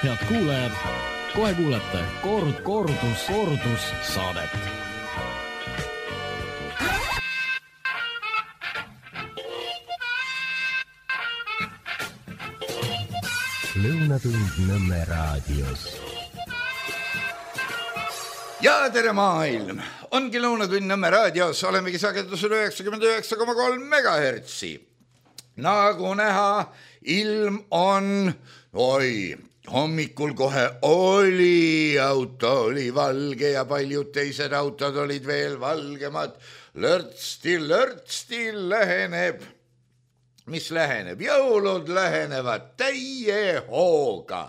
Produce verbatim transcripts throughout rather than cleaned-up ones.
head kuulajad, kohe kuulete koord, koordus, koordus saadet. Lõunatund Nõmme raadios. Ja tere maailm! Ongi Lõunatund Nõmme raadios, olemegi sagedusel üheksakümmend üheksa koma kolm megahertsi. Nagu näha, ilm on, oi, hommikul kohe oli, auto oli valge ja paljud teised autod olid veel valgemad. Lörtsti, lörtsti läheneb. Mis läheneb? Jõulud lähenevad täie hooga.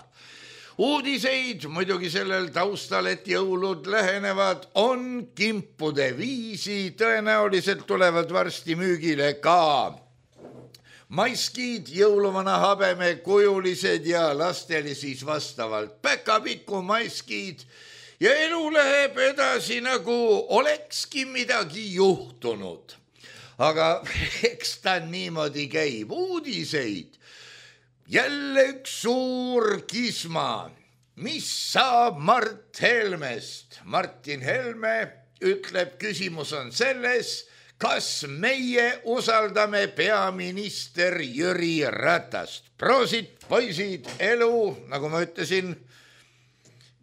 Uudiseid muidugi sellel taustal, et jõulud lähenevad, on kimpude viisi. Tõenäoliselt tulevad varsti müügile ka maiskid, jõuluvana habeme kujulised ja lastele siis vastavalt päkapiku maiskid. Ja elu läheb edasi, nagu olekski midagi juhtunud. Aga eks ta niimoodi käib. Uudiseid. Jälle üks suur kisma. Mis saab Mart Helmest? Martin Helme ütleb, küsimus on selles, kas meie usaldame peaminister Jüri Ratast. Proosit, poisid, elu, nagu ma ütlesin,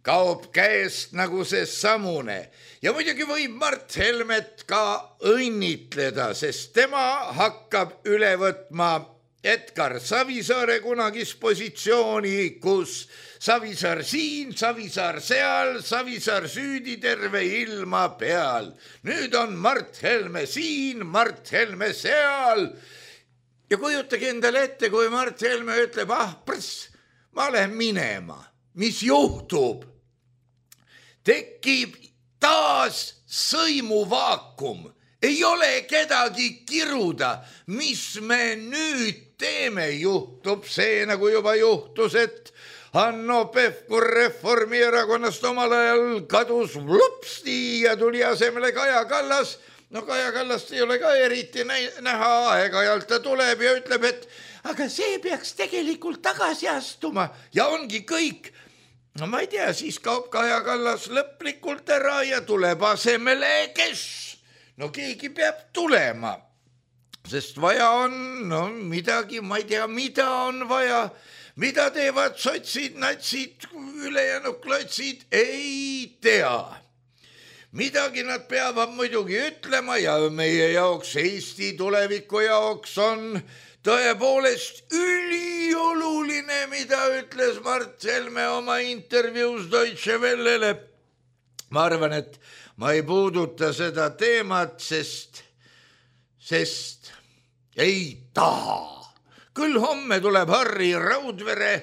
kaob käest nagu see samune. Ja muidugi võib Mart Helmet ka õnnitleda, sest tema hakkab üle võtma Edgar Savisaare kunagis positsiooni, kus Savisaar siin, Savisaar seal, Savisaar süüdi terve ilma peal. Nüüd on Mart Helme siin, Mart Helme seal. Ja kujutage endale ette, kui Mart Helme ütleb, ah, prss, ma lähen minema. Mis juhtub? Tekib taas sõimuvaakum. Ei ole kedagi kiruda. Mis me nüüd teeme? Juhtub see, nagu juba juhtus, et Hanno Pevkur Reformierakonnast omal ajal kadus lupsti ja tuli asemele Kaja Kallas. No Kaja Kallast ei ole ka eriti näha, aeg-ajalt ta tuleb ja ütleb, et aga see peaks tegelikult tagasi astuma ja ongi kõik. No ma ei tea, siis kaob Kaja Kallas lõplikult ära ja tuleb asemele kes? No keegi peab tulema, sest vaja on, no midagi, ma ei tea, mida on vaja, mida teevad sotsid, natsid, ülejäänud klotsid, ei tea. Midagi nad peavad muidugi ütlema ja meie jaoks, Eesti tuleviku jaoks on tõepoolest ülioluline, mida ütles Mart Helme oma intervjuus Deutsche Wellele. Ma arvan, et ma ei puuduta seda teemat, sest, sest ei taha. Küll homme tuleb Harri Raudvere.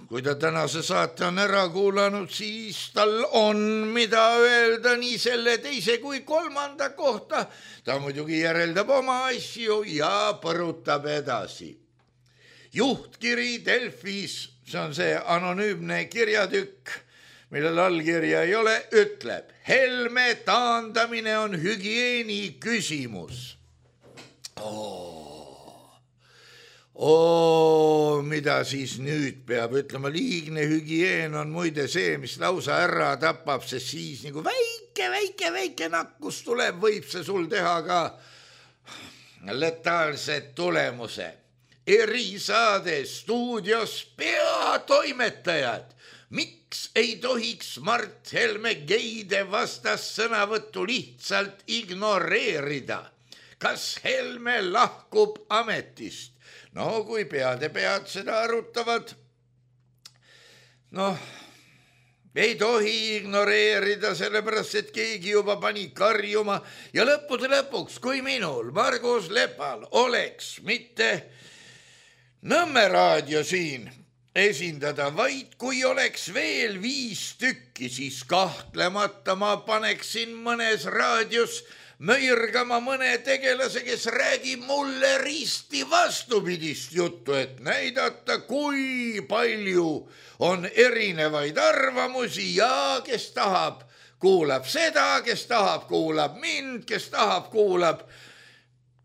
Kui ta tänase saate on ära kuulanud, siis tal on mida öelda nii selle teise kui kolmanda kohta. Ta muidugi järeldab oma asju ja põrutab edasi. Juhtkiri Delfis, see on see anonüümne kirjatükk, millel allkirja ei ole, ütleb, Helme taandamine on hügieeni küsimus. Oo, oo, mida siis nüüd peab ütlema? Liigne hügieen on muide see, mis lausa ära tapab, sest siis nagu väike, väike, väike nakkus tuleb, võib see sul teha ka letaalse tulemuse. Erisaade stuudios peatoimetajad. Miks ei tohiks Mart Helme geide vastas sõnavõttu lihtsalt ignoreerida? Kas Helme lahkub ametist? No kui peade pead seda arutavad, noh, ei tohi ignoreerida, sellepärast, et keegi juba pani karjuma ja lõppude lõpuks, kui minul, Margus Lepal, oleks mitte Nõmme raadio siin esindada, vaid kui oleks veel viis tükki, siis kahtlemata ma paneksin mõnes raadios möirgama mõne tegelase, kes räägib mulle risti vastupidist juttu, et näidata, kui palju on erinevaid arvamusi ja kes tahab, kuulab seda, kes tahab, kuulab mind, kes tahab, kuulab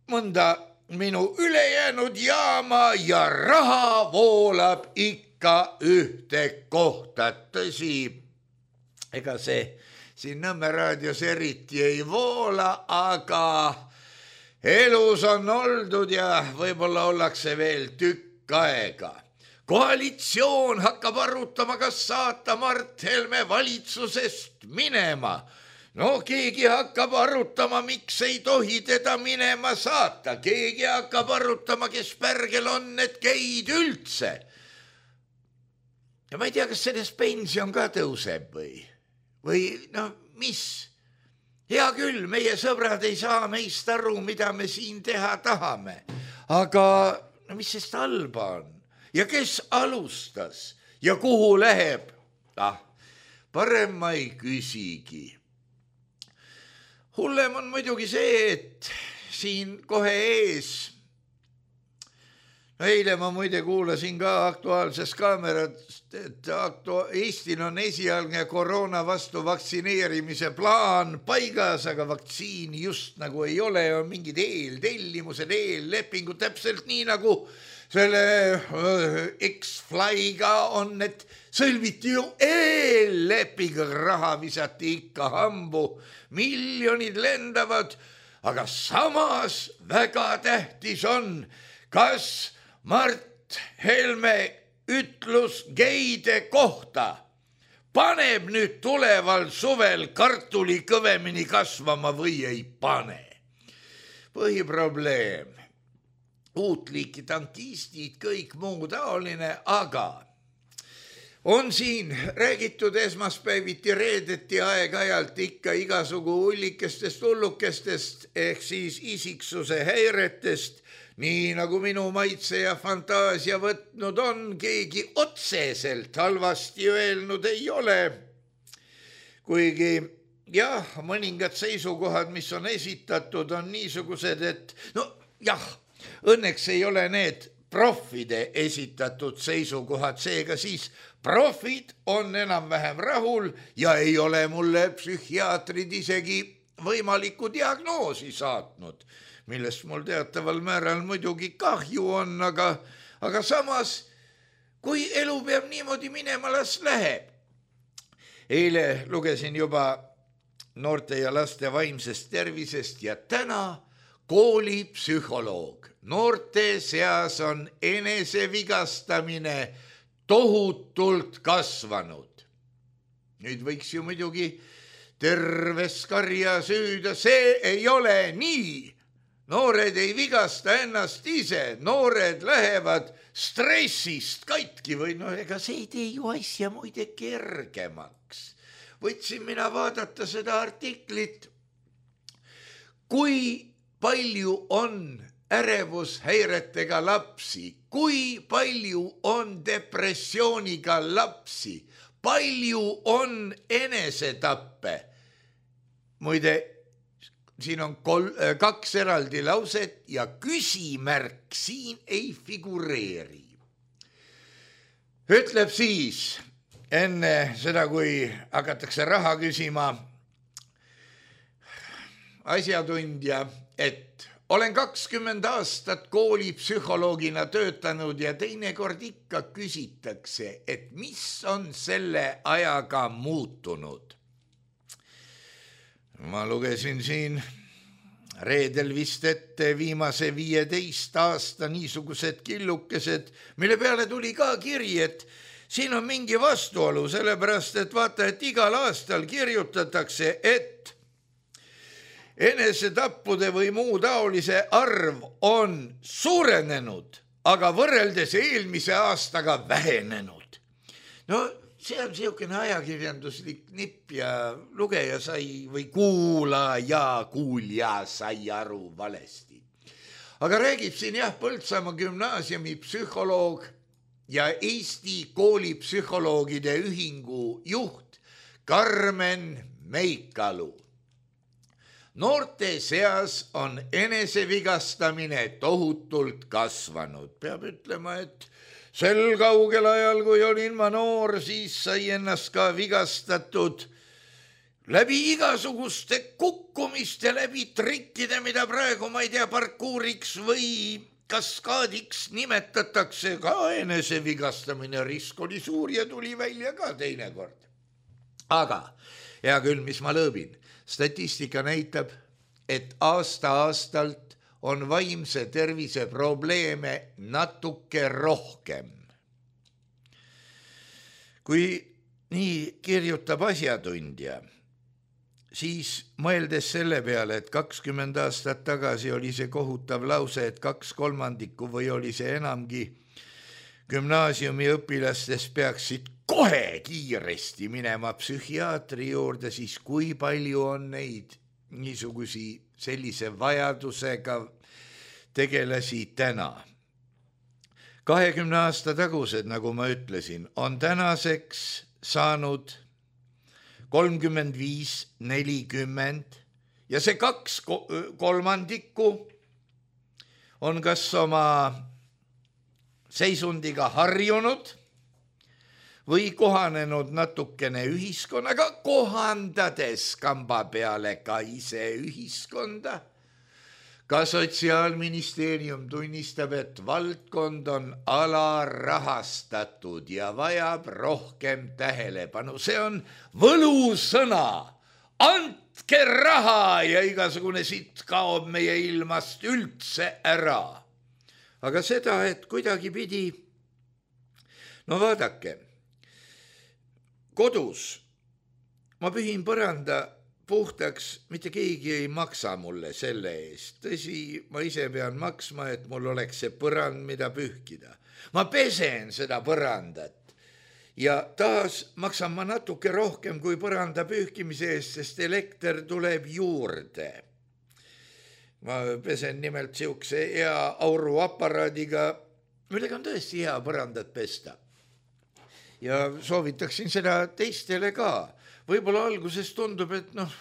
mõnda minu ülejäänud jaama ja raha voolab ikka ikka ühte kohta. Tõsi, ega see siin Nõmme raadios eriti ei voola, aga elus on oldud ja võib-olla ollakse veel tükk aega. Koalitsioon hakkab arutama, kas saata Mart Helme valitsusest minema. No keegi hakkab arutama, miks ei tohi teda minema saata. Keegi hakkab arutama, kes pärgel on need geid üldse. Ja ma ei tea, kas sellest pension ka tõuseb või, või no mis? Hea küll, meie sõbrad ei saa meist aru, mida me siin teha tahame. Aga no mis sest halba on? Ja kes alustas? Ja kuhu läheb? Ah, parem ma ei küsigi. Hullem on muidugi see, et siin kohe ees, eile ma muide kuulasin ka Aktuaalses Kaamerast, et aktu- Eestil on esialgne koroona vastu vaktsineerimise plaan paigas, aga vaktsiini just nagu ei ole, on mingid eeltellimused, eellepingud, täpselt nii nagu selle X-Flyga on, et sõlmiti ju eelleping, raha visati ikka hambu, miljonid lendavad, aga samas väga tähtis on, kas Mart Helme ütlus geide kohta paneb nüüd tuleval suvel kartuli kõvemini kasvama või ei pane. Põhiprobleem, uut liiki tankistid, kõik muu taoline, aga on siin räägitud esmaspäeviti, reedeti aeg-ajalt ikka igasugu hullikestest hullukestest ehk siis isiksuse häiretest, nii nagu minu maitse ja fantaasia võtnud on, keegi otseselt halvasti öelnud ei ole. Kuigi jah, mõningad seisukohad, mis on esitatud, on niisugused, et no jah, õnneks ei ole need profide esitatud seisukohad, seega siis profid on enam-vähem rahul ja ei ole mulle psühhiaatrid isegi võimalikku diagnoosi saatnud, millest mul teataval määral muidugi kahju on, aga, aga samas, kui elu peab niimoodi minema, las läheb. Eile lugesin juba noorte ja laste vaimsest tervisest ja täna koolipsühholoog. Noorte seas on enesevigastamine tohutult kasvanud. Nüüd võiks ju muidugi terves karja süüda, see ei ole nii. Noored ei vigasta ennast ise, noored lähevad stressist katki või no ega see ei tee ju asja muide kergemaks. Võtsin mina vaadata seda artiklit, kui palju on ärevushäiretega lapsi, kui palju on depressiooniga lapsi, palju on enesetappe. Muide, siin on kol- kaks eraldi lauset ja küsimärk siin ei figureeri. Ütleb siis enne seda, kui hakatakse raha küsima, asjatundja, et olen kakskümmend aastat koolipsühholoogina töötanud ja teinekord ikka küsitakse, et mis on selle ajaga muutunud. Ma lugesin siin reedel vist ette viimase viieteist aasta niisugused killukesed, mille peale tuli ka kiri, et siin on mingi vastuolu, sellepärast et vaata, et igal aastal kirjutatakse, et enesetappude või muu taolise arv on suurenenud, aga võrreldes eelmise aastaga vähenenud. No see on siukene ajakirjanduslik nipp ja lugeja sai või kuulaja, kuulja sai aru valesti. Aga räägib siin jah Põltsamaa gümnaasiumi psühholoog ja Eesti koolipsühholoogide ühingu juht Karmen Meikalu. Noorte seas on enesevigastamine tohutult kasvanud. Peab ütlema, et sel kaugel ajal, kui olin ma noor, siis sai ennast ka vigastatud läbi igasuguste kukkumiste, läbi trikkide, mida praegu ma ei tea, parkuuriks või kaskaadiks nimetatakse ka enesevigastamine, risk oli suur ja tuli välja ka teinekord. Aga hea küll, mis ma lõõbin, statistika näitab, et aasta-aastalt on vaimse tervise probleeme natuke rohkem. Kui nii kirjutab asjatundja, siis mõeldes selle peale, et kakskümmend aastat tagasi oli see kohutav lause, et kaks kolmandikku või oli see enamgi gümnaasiumi õpilastes peaksid kohe kiiresti minema psühhiaatri juurde, siis kui palju on neid niisugusi sellise vajadusega tegelasi täna. kahekümne aasta tagused, nagu ma ütlesin, on tänaseks saanud kolmkümmend viis, nelikümmend ja see kaks kolmandikku on kas oma seisundiga harjunud või kohanenud natukene ühiskonnaga, kohandades kamba peale ka ise ühiskonda. Ka Sotsiaalministeerium tunnistab, et valdkond on alarahastatud ja vajab rohkem tähelepanu. See on võlusõna. Andke raha ja igasugune sitt kaob meie ilmast üldse ära. Aga seda, et kuidagi pidi, no vaadake, kodus ma pühin põranda puhtaks, mitte keegi ei maksa mulle selle eest. Tõsi, ma ise pean maksma, et mul oleks see põrand, mida pühkida. Ma pesen seda põrandat ja taas maksan ma natuke rohkem kui põranda pühkimise eest, sest elekter tuleb juurde. Ma pesen nimelt siukse hea auruaparaadiga, millega on tõesti hea põrandat pesta. Ja soovitaksin seda teistele ka. Võib-olla alguses tundub, et noh,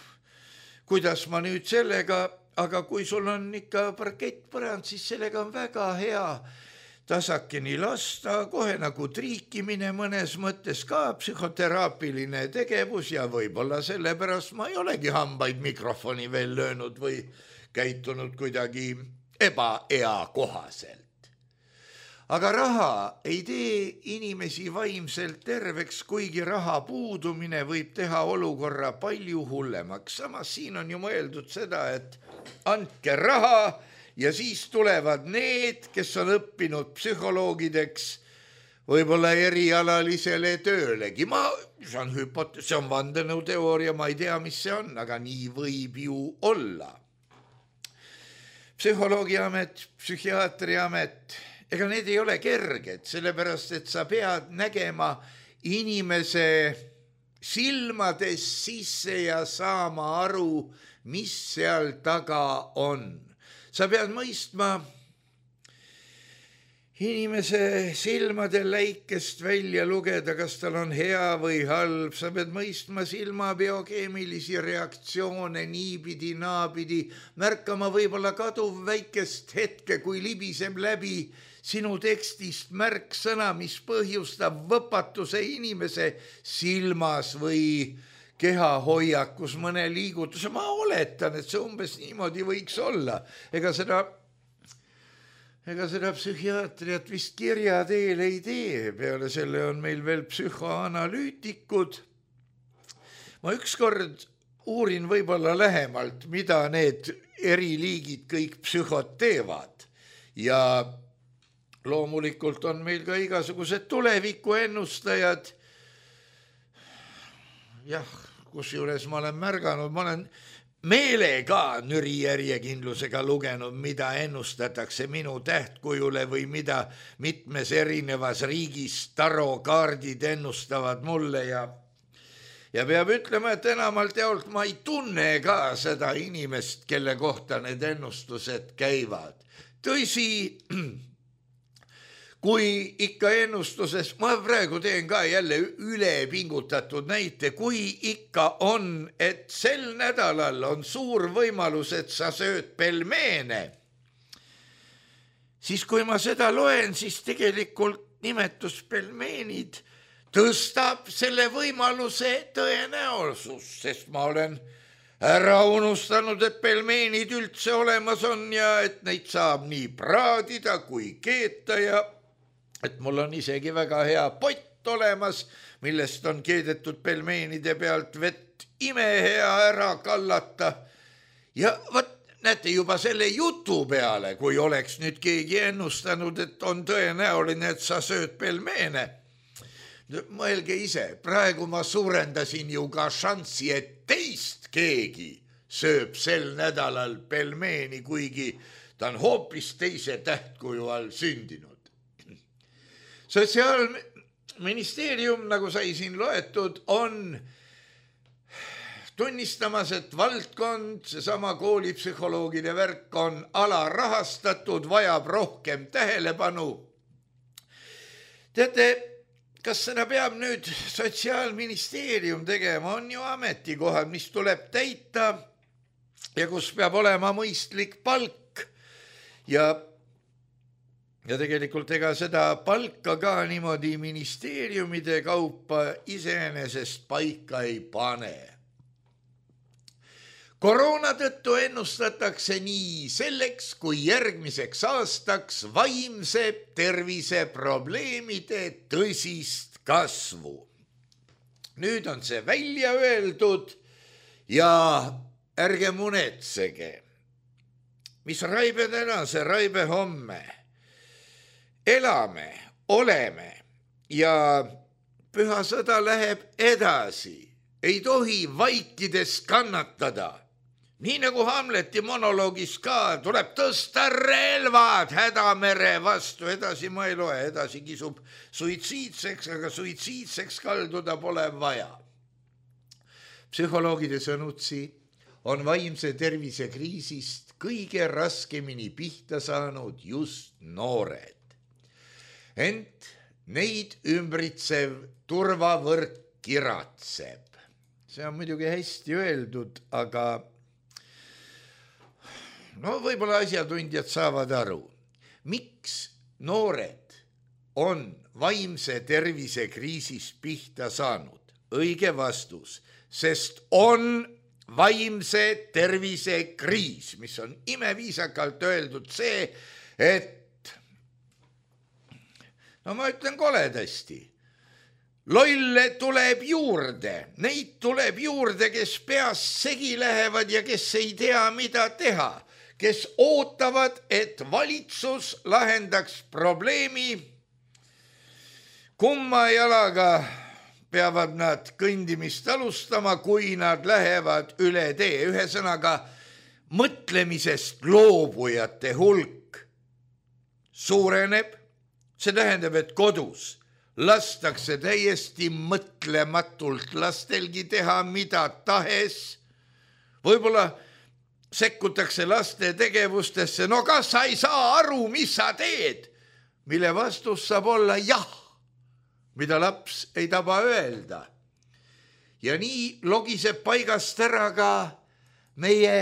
kuidas ma nüüd sellega, aga kui sul on ikka parkettpõrand, siis sellega on väga hea tasakeni lasta, kohe nagu triikimine mõnes mõttes ka psühhoteraapiline tegevus ja võib-olla sellepärast ma ei olegi hambaid mikrofoni veel löönud või käitunud kuidagi ebaea kohaselt. Aga raha ei tee inimesi vaimselt terveks, kuigi raha puudumine võib teha olukorra palju hullemaks. Samas siin on ju mõeldud seda, et andke raha ja siis tulevad need, kes on õppinud psühholoogideks, võib-olla erialalisele töölegi. Ma, see on hüpote- see on vandenõuteooria, ma ei tea, mis see on, aga nii võib ju olla. Psühholoogiamet, psühhiaatriamet, ega need ei ole kerged, sellepärast, et sa pead nägema inimese silmades sisse ja saama aru, mis seal taga on. Sa pead mõistma inimese silmade läikest välja lugeda, kas tal on hea või halb. Sa pead mõistma silma biokeemilisi reaktsioone niipidi, naapidi, märkama võib-olla kaduv väikest hetke, kui libiseb läbi sinu tekstist märksõna, mis põhjustab võpatuse inimese silmas või kehahoiakus mõne liigutuse. Ma oletan, et see umbes niimoodi võiks olla. Ega seda, ega seda psühhiaatriat vist kirja teel ei tee. Peale selle on meil veel psühhoanalüütikud. Ma ükskord uurin võib-olla lähemalt, mida need eri liigid kõik psühhot teevad. Ja loomulikult on meil ka igasugused tulevikuennustajad. Jah, kusjuures ma olen märganud, ma olen meelega nüri järjekindlusega lugenud, mida ennustatakse minu tähtkujule või mida mitmes erinevas riigis tarokaardid ennustavad mulle ja ja peab ütlema, et enamalt jaolt ma ei tunne ka seda inimest, kelle kohta need ennustused käivad. Tõsi, kui ikka ennustuses, ma praegu teen ka jälle üle pingutatud näite, kui ikka on, et sel nädalal on suur võimalus, et sa sööd pelmeene, siis kui ma seda loen, siis tegelikult nimetus pelmeenid tõstab selle võimaluse tõenäosus, sest ma olen ära unustanud, et pelmeenid üldse olemas on ja et neid saab nii praadida kui keeta ja et mul on isegi väga hea pott olemas, millest on keedetud pelmeenide pealt vett imehea ära kallata. Ja võt, näete juba selle jutu peale, kui oleks nüüd keegi ennustanud, et on tõenäoline, et sa sööd pelmeene. Mõelge ise, praegu ma suurendasin ju ka šanssi, et teist keegi sööb sel nädalal pelmeeni, kuigi ta on hoopis teise tähtkuju all sündinud. Sotsiaalministeerium, nagu sai siin loetud, on tunnistamas, et valdkond, seesama koolipsühholoogide värk on alarahastatud, vajab rohkem tähelepanu. Teate, kas seda peab nüüd Sotsiaalministeerium tegema, on ju ametikohad, mis tuleb täita ja kus peab olema mõistlik palk ja Ja tegelikult ega seda palka ka niimoodi ministeeriumide kaupa iseenesest paika ei pane. Koroona tõttu ennustatakse nii selleks kui järgmiseks aastaks vaimse tervise probleemide tõsist kasvu. Nüüd on see välja öeldud ja ärge munetsege. Mis raibe täna, see raibe homme. Elame, oleme ja püha sõda läheb edasi. Ei tohi vaikides kannatada. Nii nagu Hamleti monoloogis ka, tuleb tõsta relvad hädamere vastu. Edasi ma ei loe, edasi kisub suitsiidseks, aga suitsiidseks kalduda pole vaja. Psühholoogide sõnutsi on vaimse tervise kriisist kõige raskemini pihta saanud just noored. Ent neid ümbritsev turvavõrk kiratseb. See on muidugi hästi öeldud, aga no võib-olla asjatundjad saavad aru, miks noored on vaimse tervise kriisis pihta saanud. Õige vastus, sest on vaimse tervise kriis, mis on imeviisakalt öeldud see, et no ma ütlen koledasti. Lolle tuleb juurde, neid tuleb juurde, kes peas segi lähevad ja kes ei tea, mida teha, kes ootavad, et valitsus lahendaks probleemi. Kumma jalaga peavad nad kõndimist alustama, kui nad lähevad üle tee. Ühesõnaga, mõtlemisest loobujate hulk suureneb. See tähendab, et kodus lastakse täiesti mõtlematult lastelgi teha mida tahes. Võib-olla sekkutakse laste tegevustesse. No kas sa ei saa aru, mis sa teed? Mille vastus saab olla jah, mida laps ei taba öelda. Ja nii logiseb paigast ära ka meie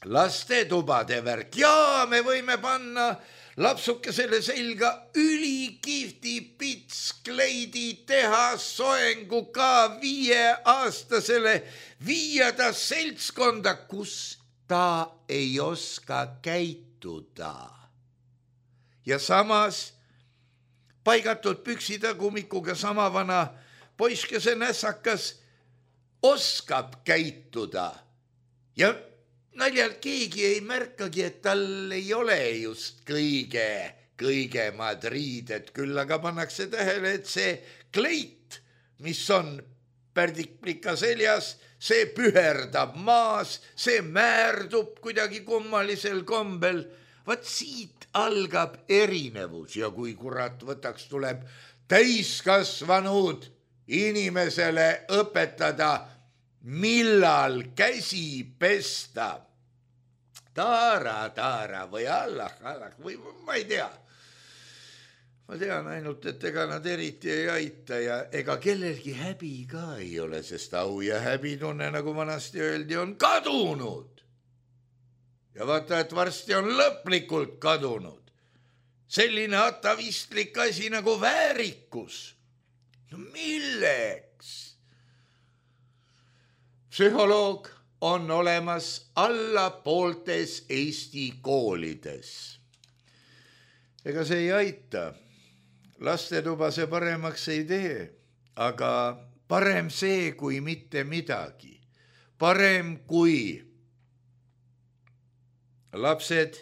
lastetubade värk. Jaa, me võime panna lapsukesele selga ülikihti pitskleidi teha soengu ka viieaastasele, viia ta seltskonda, kus ta ei oska käituda. Ja samas paigatud püksitagumikuga sama vana poiskese nässakas oskab käituda ja naljalt keegi ei märkagi, et tal ei ole just kõige, kõige madriidet, küll aga pannakse tähele, et see kleit, mis on pärdikplika seljas, see püherdab maas, see määrdub kuidagi kummalisel kombel. Vaat siit algab erinevus ja kui kurat võtaks, tuleb täiskasvanud inimesele õpetada, millal käsi pesta. Taara, taara või Allah, Allah või ma ei tea. Ma tean ainult, et ega nad eriti ei aita ja ega kellelgi häbi ka ei ole, sest au ja häbitunne, nagu vanasti öeldi, on kadunud. Ja vaata, et varsti on lõplikult kadunud. Selline atavistlik asi nagu väärikus. No milleks? Psühholoog on olemas alla pooltes Eesti koolides. Ega see ei aita. Lastetuba see paremaks ei tee, aga parem see kui mitte midagi. Parem kui lapsed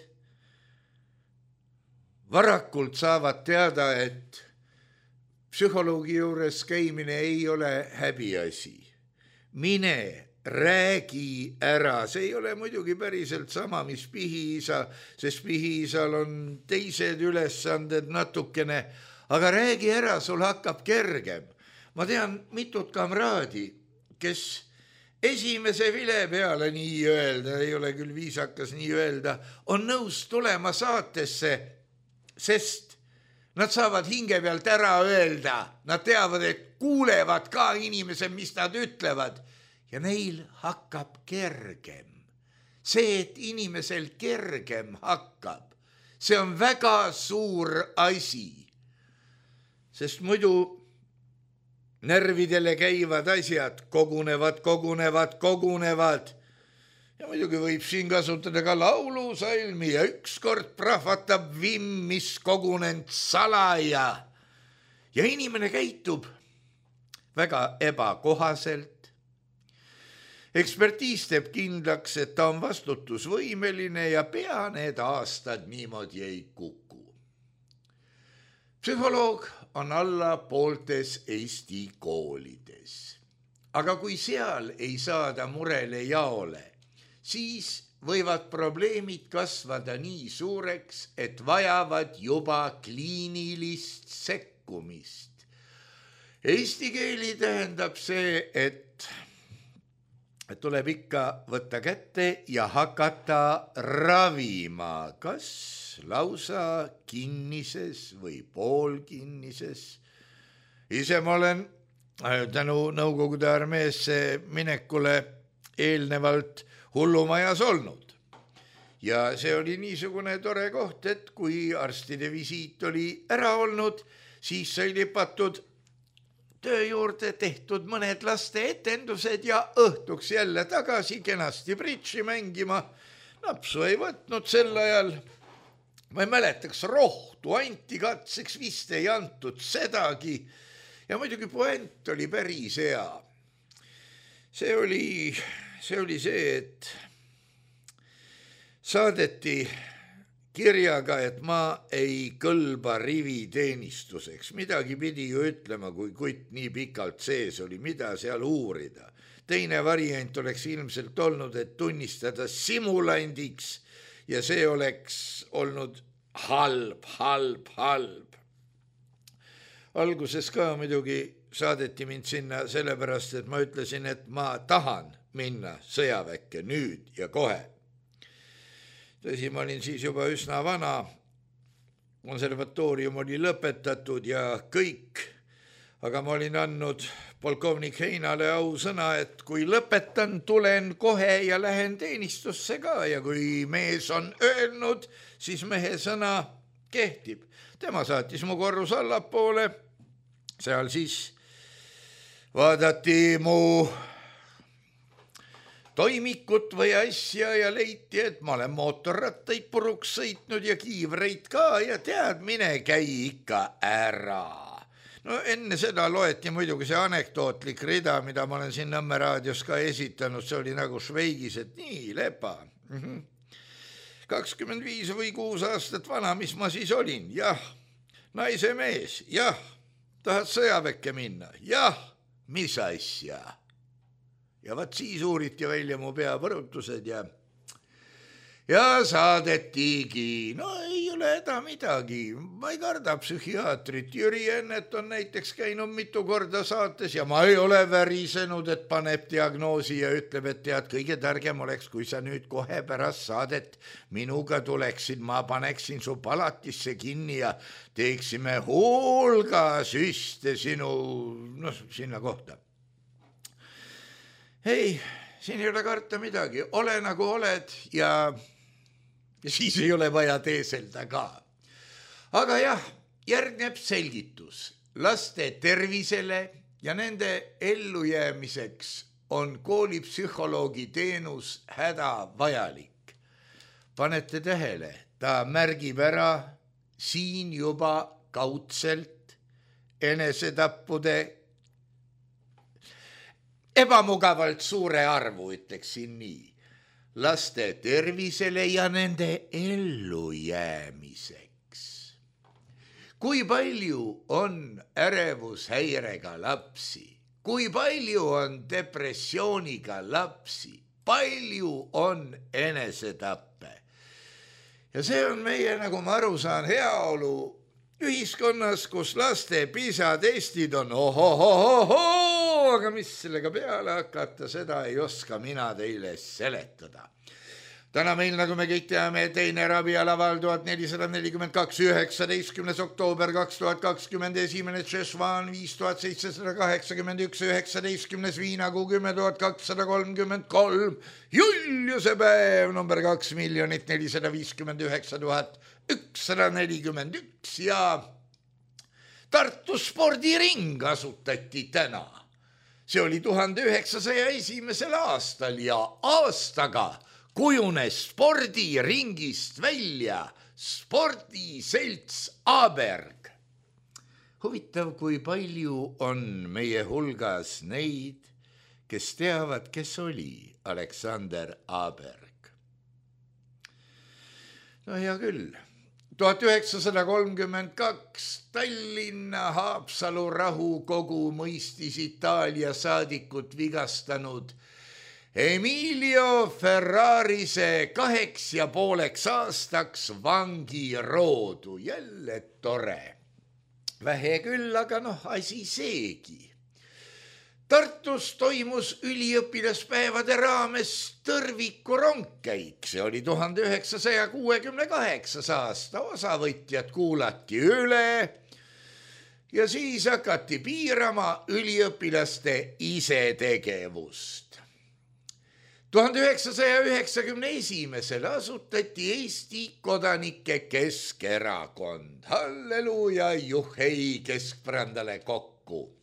varakult saavad teada, et psühholoogi juures käimine ei ole häbiasi. Mine, räägi ära, see ei ole muidugi päriselt sama, mis pihiisa, sest pihiisal on teised ülesanded natukene, aga räägi ära, sul hakkab kergem. Ma tean mitut kamraadi, kes esimese vile peale nii öelda, ei ole küll viisakas nii öelda, on nõus tulema saatesse, sest nad saavad hinge pealt ära öelda, nad teavad, et kuulevad ka inimesed, mis nad ütlevad ja neil hakkab kergem. See, et inimesel kergem hakkab, see on väga suur asi, sest muidu närvidele käivad asjad kogunevad, kogunevad, kogunevad. Ja muidugi võib siin kasutada ka laulusalmi ja ükskord prahvatab vimm, mis kogunend salaja. Ja inimene käitub väga ebakohaselt. Ekspertiis teeb kindlaks, et ta on vastutusvõimeline ja pea need aastad niimoodi ei kuku. Psühholoog on alla pooltes Eesti koolides. Aga kui seal ei saada murele jaole, siis võivad probleemid kasvada nii suureks, et vajavad juba kliinilist sekkumist. Eesti keeli tähendab see, et, et tuleb ikka võtta kätte ja hakata ravima, kas lausa kinnises või poolkinnises. Ise ma olen tänu Nõukogude armeesse minekule eelnevalt hullumajas olnud. Ja see oli niisugune tore koht, et kui arstide visiit oli ära olnud, siis sai lipatud töö juurde tehtud mõned laste etendused ja õhtuks jälle tagasi kenasti bridži mängima. Napsu ei võtnud sel ajal. Ma ei mäletaks, rohtu anti katseks, vist ei antud sedagi. Ja muidugi puent oli päris hea. See oli, see oli see, et saadeti kirjaga, et ma ei kõlba riviteenistuseks. Midagi pidi ju ütlema, kui kutt nii pikalt sees oli, mida seal uurida. Teine variant oleks ilmselt olnud, et tunnistada simulandiks ja see oleks olnud halb, halb, halb. Alguses ka muidugi saadeti mind sinna sellepärast, et ma ütlesin, et ma tahan minna sõjaväkke nüüd ja kohe. Tõsi, ma olin siis juba üsna vana, konservatoorium oli lõpetatud ja kõik, aga ma olin andnud polkovnik Heinale ausõna, et kui lõpetan, tulen kohe ja lähen teenistusse ka ja kui mees on öelnud, siis mehe sõna kehtib. Tema saatis mu korrus allapoole, seal siis vaadati mu toimikut või asja ja leiti, et ma olen mootorrattaid puruks sõitnud ja kiivreid ka ja tead, mine käi ikka ära. No enne seda loeti muidugi see anekdootlik rida, mida ma olen siin Nõmme raadios ka esitanud, see oli nagu Šveigis, et nii, lepa. kakskümmend viis või kuus aastat vana, mis ma siis olin? Jah, naise mees, jah, tahad sõjaväkke minna? Jah, mis asja? Ja vaat siis uuriti välja mu peapõrutused ja, ja saadetigi. No ei ole häda midagi, ma ei karda psühhiaatrit. Jüri Ennet on näiteks käinud mitu korda saates ja ma ei ole värisenud, et paneb diagnoosi ja ütleb, et tead, kõige targem oleks, kui sa nüüd kohe pärast saadet minuga tuleksid, ma paneksin su palatisse kinni ja teeksime hulga süste sinu, noh, sinna kohta. Ei, siin ei ole karta midagi, ole nagu oled ja, ja siis ei ole vaja teeselda ka. Aga jah, järgneb selgitus laste tervisele ja nende ellujäämiseks on koolipsühholoogi teenus hädavajalik. Panete tähele, ta märgib ära siin juba kaudselt enesetappude ebamugavalt suure arvu, ütleksin nii, laste tervisele ja nende ellujäämiseks. Kui palju on ärevushäirega lapsi, kui palju on depressiooniga lapsi, palju on enesetappe. Ja see on meie, nagu ma aru saan, heaolu ühiskonnas, kus laste PISA testid on ohohohoho, aga mis sellega peale hakata, seda ei oska mina teile seletada. Täna meil, nagu me kõik teame, teine rabialaval tuhat nelisada nelikümmend kaks, üheksateistkümnes oktoober kaks tuhat kakskümmend, esimene Tšešvan viis tuhat seitsesada kaheksakümmend üks, üheksateistkümnes Viinakuu kümme tuhat kakssada kolmkümmend kolm, Juliuse päev number kaks miljonit nelisada viiskümmend üheksa tuhat ükssada nelikümmend üks ja Tartu spordiring asutati täna. See oli tuhande üheksasaja esimesel aastal ja aastaga kujunes spordiringist välja spordiselts Aberg. Huvitav, kui palju on meie hulgas neid, kes teavad, kes oli Aleksander Aberg. No hea küll. tuhat üheksasada kolmkümmend kaks Tallinna Haapsalu rahukogu mõistis Itaalia saadikut vigastanud Emilio Ferrarise kaheks ja pooleks aastaks vangiroodu. Jälle tore. Vähe küll, aga noh, asi seegi. Tartus toimus üliõpilaspäevade raames Tõrviku rongkäik. See oli tuhande üheksasaja kuuekümne kaheksas aasta. Osavõtjad kuulati üle ja siis hakati piirama üliõpilaste isetegevust. tuhande üheksasaja üheksakümne esimesel asutati Eesti Kodanike Keskerakond. Halleluuja, juhhei keskpärandale kokku.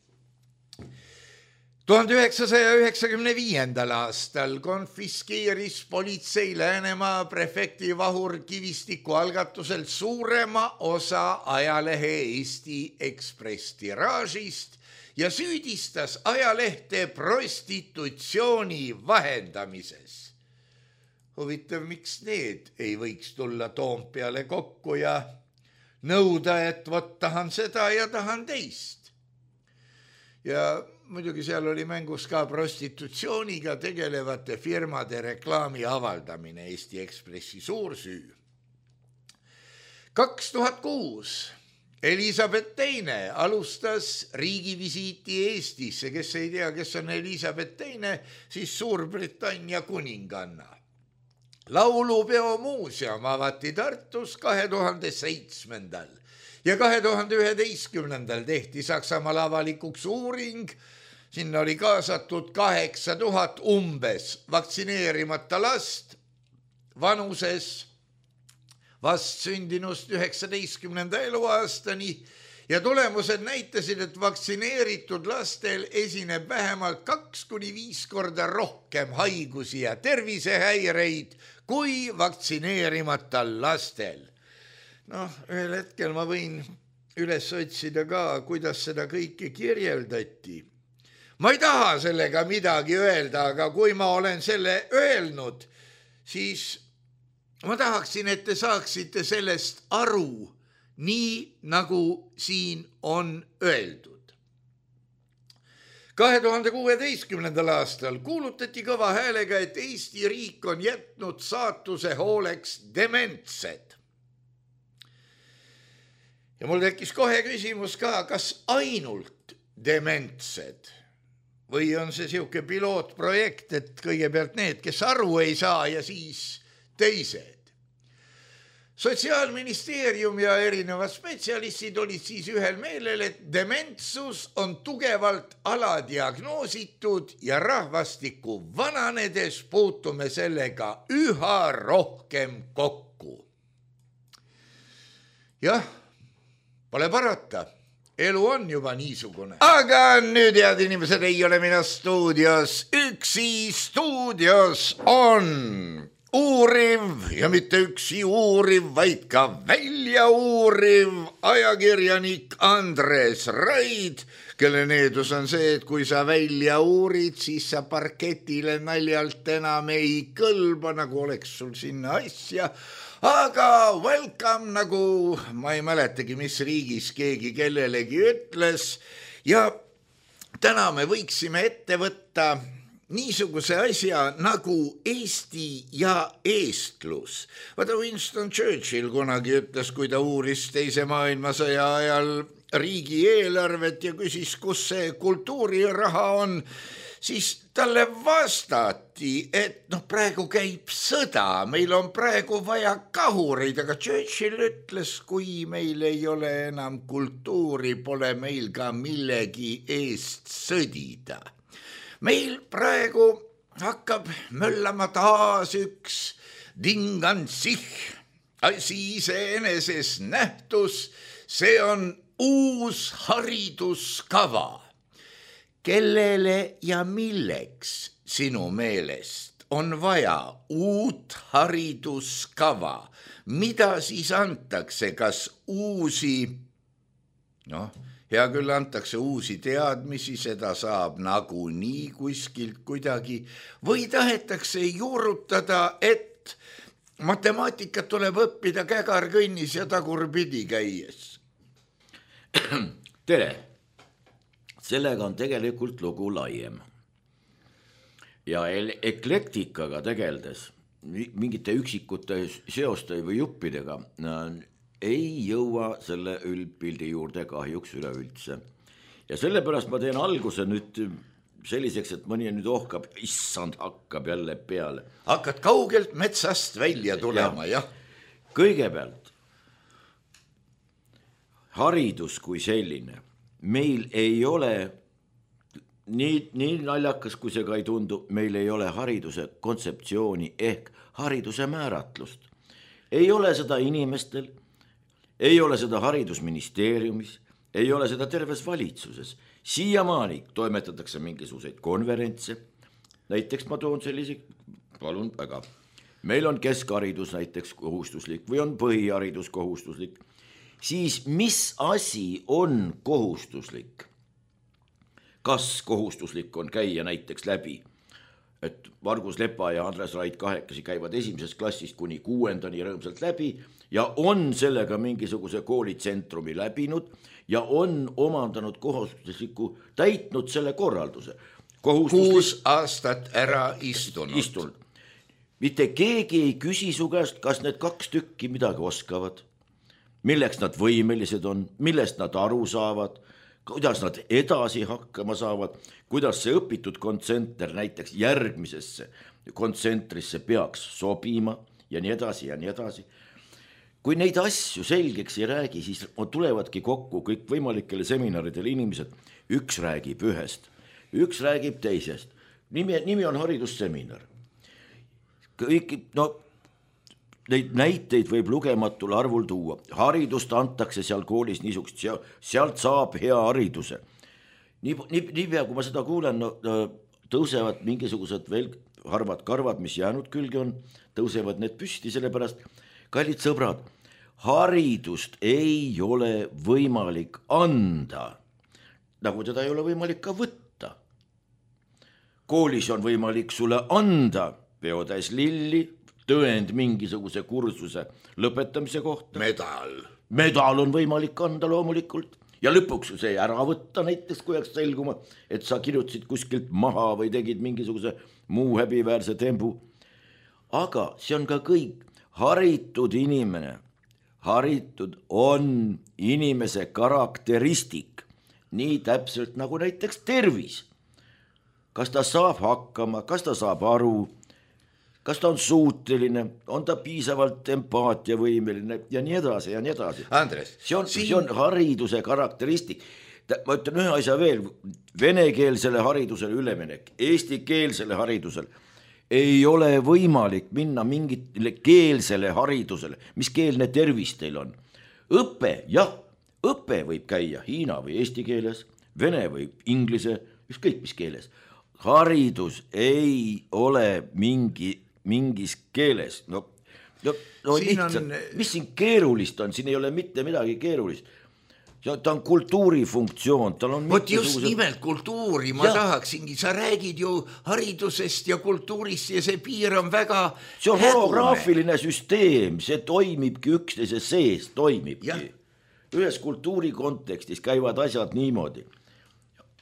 tuhande üheksasaja üheksakümne viiendal aastal konfiskeeris politsei Läänemaa prefekti Vahur Kivistiku algatusel suurema osa ajalehe Eesti Ekspress tiraažist ja süüdistas ajalehte prostitutsiooni vahendamises. Huvitav, miks need ei võiks tulla Toompeale kokku ja nõuda, et vot tahan seda ja tahan teist. Ja muidugi seal oli mängus ka prostitutsiooniga tegelevate firmade reklaami avaldamine, Eesti Ekspressi suursüü. kaks tuhat kuus Elisabeth teine alustas riigivisiiti Eestisse. Kes ei tea, kes on Elisabeth teine, siis Suurbritannia kuninganna. Laulupeo muuseum avati Tartus kahe tuhande seitsmendal ja kahe tuhande üheteistkümnendal tehti Saksamaal avalikuks uuring. Sinna oli kaasatud kaheksa tuhat umbes vaktsineerimata last vanuses vast sündinust üheksateistkümnenda eluaastani ja tulemused näitasid, et vaktsineeritud lastel esineb vähemalt kaks kuni viis korda rohkem haigusi ja tervisehäireid kui vaktsineerimata lastel. Noh, ühel hetkel ma võin üles otsida ka, kuidas seda kõike kirjeldati. Ma ei taha sellega midagi öelda, aga kui ma olen selle öelnud, siis ma tahaksin, et te saaksite sellest aru, nii nagu siin on öeldud. kahe tuhande kuueteistkümnendal aastal kuulutati kõva häälega, et Eesti riik on jätnud saatuse hooleks dementsed. Ja mul tekkis kohe küsimus ka, kas ainult dementsed või on see siuke pilootprojekt, et kõigepealt need, kes aru ei saa ja siis teised. Sotsiaalministeerium ja erinevad spetsialistid olid siis ühel meelel, et dementsus on tugevalt aladiagnoositud ja rahvastiku vananedes puutume sellega üha rohkem kokku. Jah, pole parata. elu on juba niisugune. Aga nüüd, head inimesed, ei ole mina stuudios üksi, stuudios on uuriv ja mitte üksi uuriv, vaid ka välja uuriv ajakirjanik Andres Raid, kelle needus on see, et kui sa välja uurid, siis sa parketile naljalt enam ei kõlba, nagu oleks sul sinna asja. Aga welcome, nagu ma ei mäletagi, mis riigis keegi kellelegi ütles. Ja täna me võiksime ette võtta niisuguse asja nagu Eesti ja eestlus. Vaata, Winston Churchill kunagi ütles, kui ta uuris teise maailmasõja ajal riigieelarvet ja küsis, kus see kultuuriraha on, siis talle vastati, et noh, praegu käib sõda, meil on praegu vaja kahureid, aga Churchill ütles, kui meil ei ole enam kultuuri, pole meil ka millegi eest sõdida. Meil praegu hakkab möllama taas üks dingansih, asi iseeneses nähtus, see on uus hariduskava. Kellele ja milleks sinu meelest on vaja uut hariduskava? Mida siis antakse, kas uusi, noh, hea küll antakse uusi teadmisi, seda saab nagunii kuskilt kuidagi, või tahetakse juurutada, et matemaatikat tuleb õppida kägarkõnnis ja tagurpidi käies? Tere! Sellega on tegelikult lugu laiem. Ja eklektikaga tegeldes, mingite üksikute seoste või juppidega, ei jõua selle üldpildi juurde kahjuks üleüldse. Ja sellepärast ma teen alguse nüüd selliseks, et mõni nüüd ohkab, issand, hakkab jälle peale. Hakkad kaugelt metsast välja tulema, jah. Kõigepealt, haridus kui selline. Meil ei ole, nii, nii naljakas kui see ka ei tundu, meil ei ole hariduse kontseptsiooni ehk hariduse määratlust. Ei ole seda inimestel, ei ole seda haridusministeeriumis, ei ole seda terves valitsuses. Siiamaani toimetatakse mingisuguseid konverentse, näiteks ma toon sellise, palun väga, meil on keskharidus näiteks kohustuslik või on põhiharidus kohustuslik. Siis mis asi on kohustuslik? Kas kohustuslik on käia näiteks läbi, et Margus Lepa ja Andres Raid kahekesi käivad esimesest klassist kuni kuuendani rõõmsalt läbi ja on sellega mingisuguse koolitsentrumi läbinud ja on omandanud kohustusliku, täitnud selle korralduse. Kuus aastat ära istunud. istunud. Mitte keegi ei küsi su käest, kas need kaks tükki midagi oskavad. Milleks nad võimelised on, millest nad aru saavad, kuidas nad edasi hakkama saavad, kuidas see õpitud kontsenter näiteks järgmisesse kontsentrisse peaks sobima ja nii edasi ja nii edasi. Kui neid asju selgeks ei räägi, siis tulevadki kokku kõik võimalikele seminaridele inimesed. Üks räägib ühest, üks räägib teisest. Nimi, nimi on haridusseminar. Kõik, no, neid näiteid võib lugematul arvul tuua. Haridust antakse seal koolis niisugust, sealt saab hea hariduse. Nii, nii, nii pea, kui ma seda kuulen, no, tõusevad mingisugused veel harvad karvad, mis jäänud külge on, tõusevad need püsti, sellepärast, kallid sõbrad, haridust ei ole võimalik anda, nagu teda ei ole võimalik ka võtta. Koolis on võimalik sulle anda peotäis lilli, tõend mingisuguse kursuse lõpetamise kohta. Medal. Medal on võimalik anda loomulikult ja lõpuks see ära võtta näiteks, kui jääks selguma, et sa kirjutasid kuskilt maha või tegid mingisuguse muu häbiväärse tembu. Aga see on ka kõik. Haritud inimene, haritud on inimese karakteristik, nii täpselt nagu näiteks tervis. Kas ta saab hakkama, kas ta saab aru, kas ta on suuteline, on ta piisavalt empaatiavõimeline ja nii edasi ja nii edasi. Andres, see on, siin... see on hariduse karakteristik. Ma ütlen ühe asja veel, venekeelsele haridusele üleminek, eestikeelsele haridusele ei ole võimalik minna mingitele keelsele haridusele. Mis keelne tervis teil on? Õpe, jah, õpe võib käia hiina või eesti keeles, vene või inglise, ükskõik mis keeles. Haridus ei ole mingi, mingis keeles. No, no, no lihtsalt, on... mis siin keerulist on, siin ei ole mitte midagi keerulist. Ta on kultuurifunktsioon, tal on Vot just nimelt kultuuri, ma ja. tahaksingi, sa räägid ju haridusest ja kultuurist ja see piir on väga see on holograafiline süsteem, see toimibki üksteise sees, toimibki ja. Ühes kultuuri kontekstis käivad asjad niimoodi.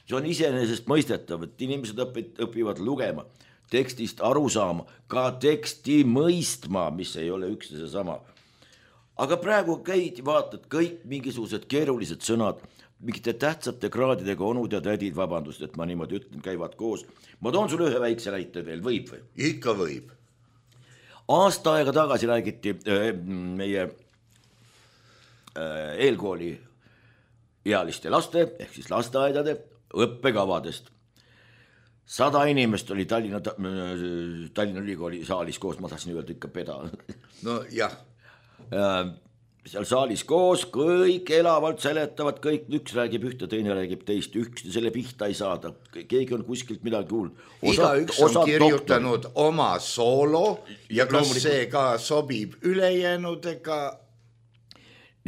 See on iseenesest mõistetav, et inimesed õpivad lugema, tekstist aru saama, ka teksti mõistma, mis ei ole üksteise sama. Aga praegu käid, vaatad kõik mingisugused keerulised sõnad, mingite tähtsate kraadidega onud ja tädid, vabandust, et ma niimoodi ütlen, käivad koos. Ma toon sulle ühe väikse näite veel, võib või? Ikka võib. Aasta aega tagasi räägiti äh, meie äh, eelkooli ealiste laste, ehk siis lasteaedade õppekavadest. Sada inimest oli Tallinna, Tallinna ülikooli saalis koos, ma tahtsin öelda ikka peda. No jah. Seal saalis koos, kõik elavalt seletavad, kõik üks räägib ühte, teine räägib teist, üks selle pihta ei saada, keegi on kuskilt midagi kuulnud. Iga üks on kirjutanud doktor. Oma soolo ja kas Loomulikult. See ka sobib ülejäänudega?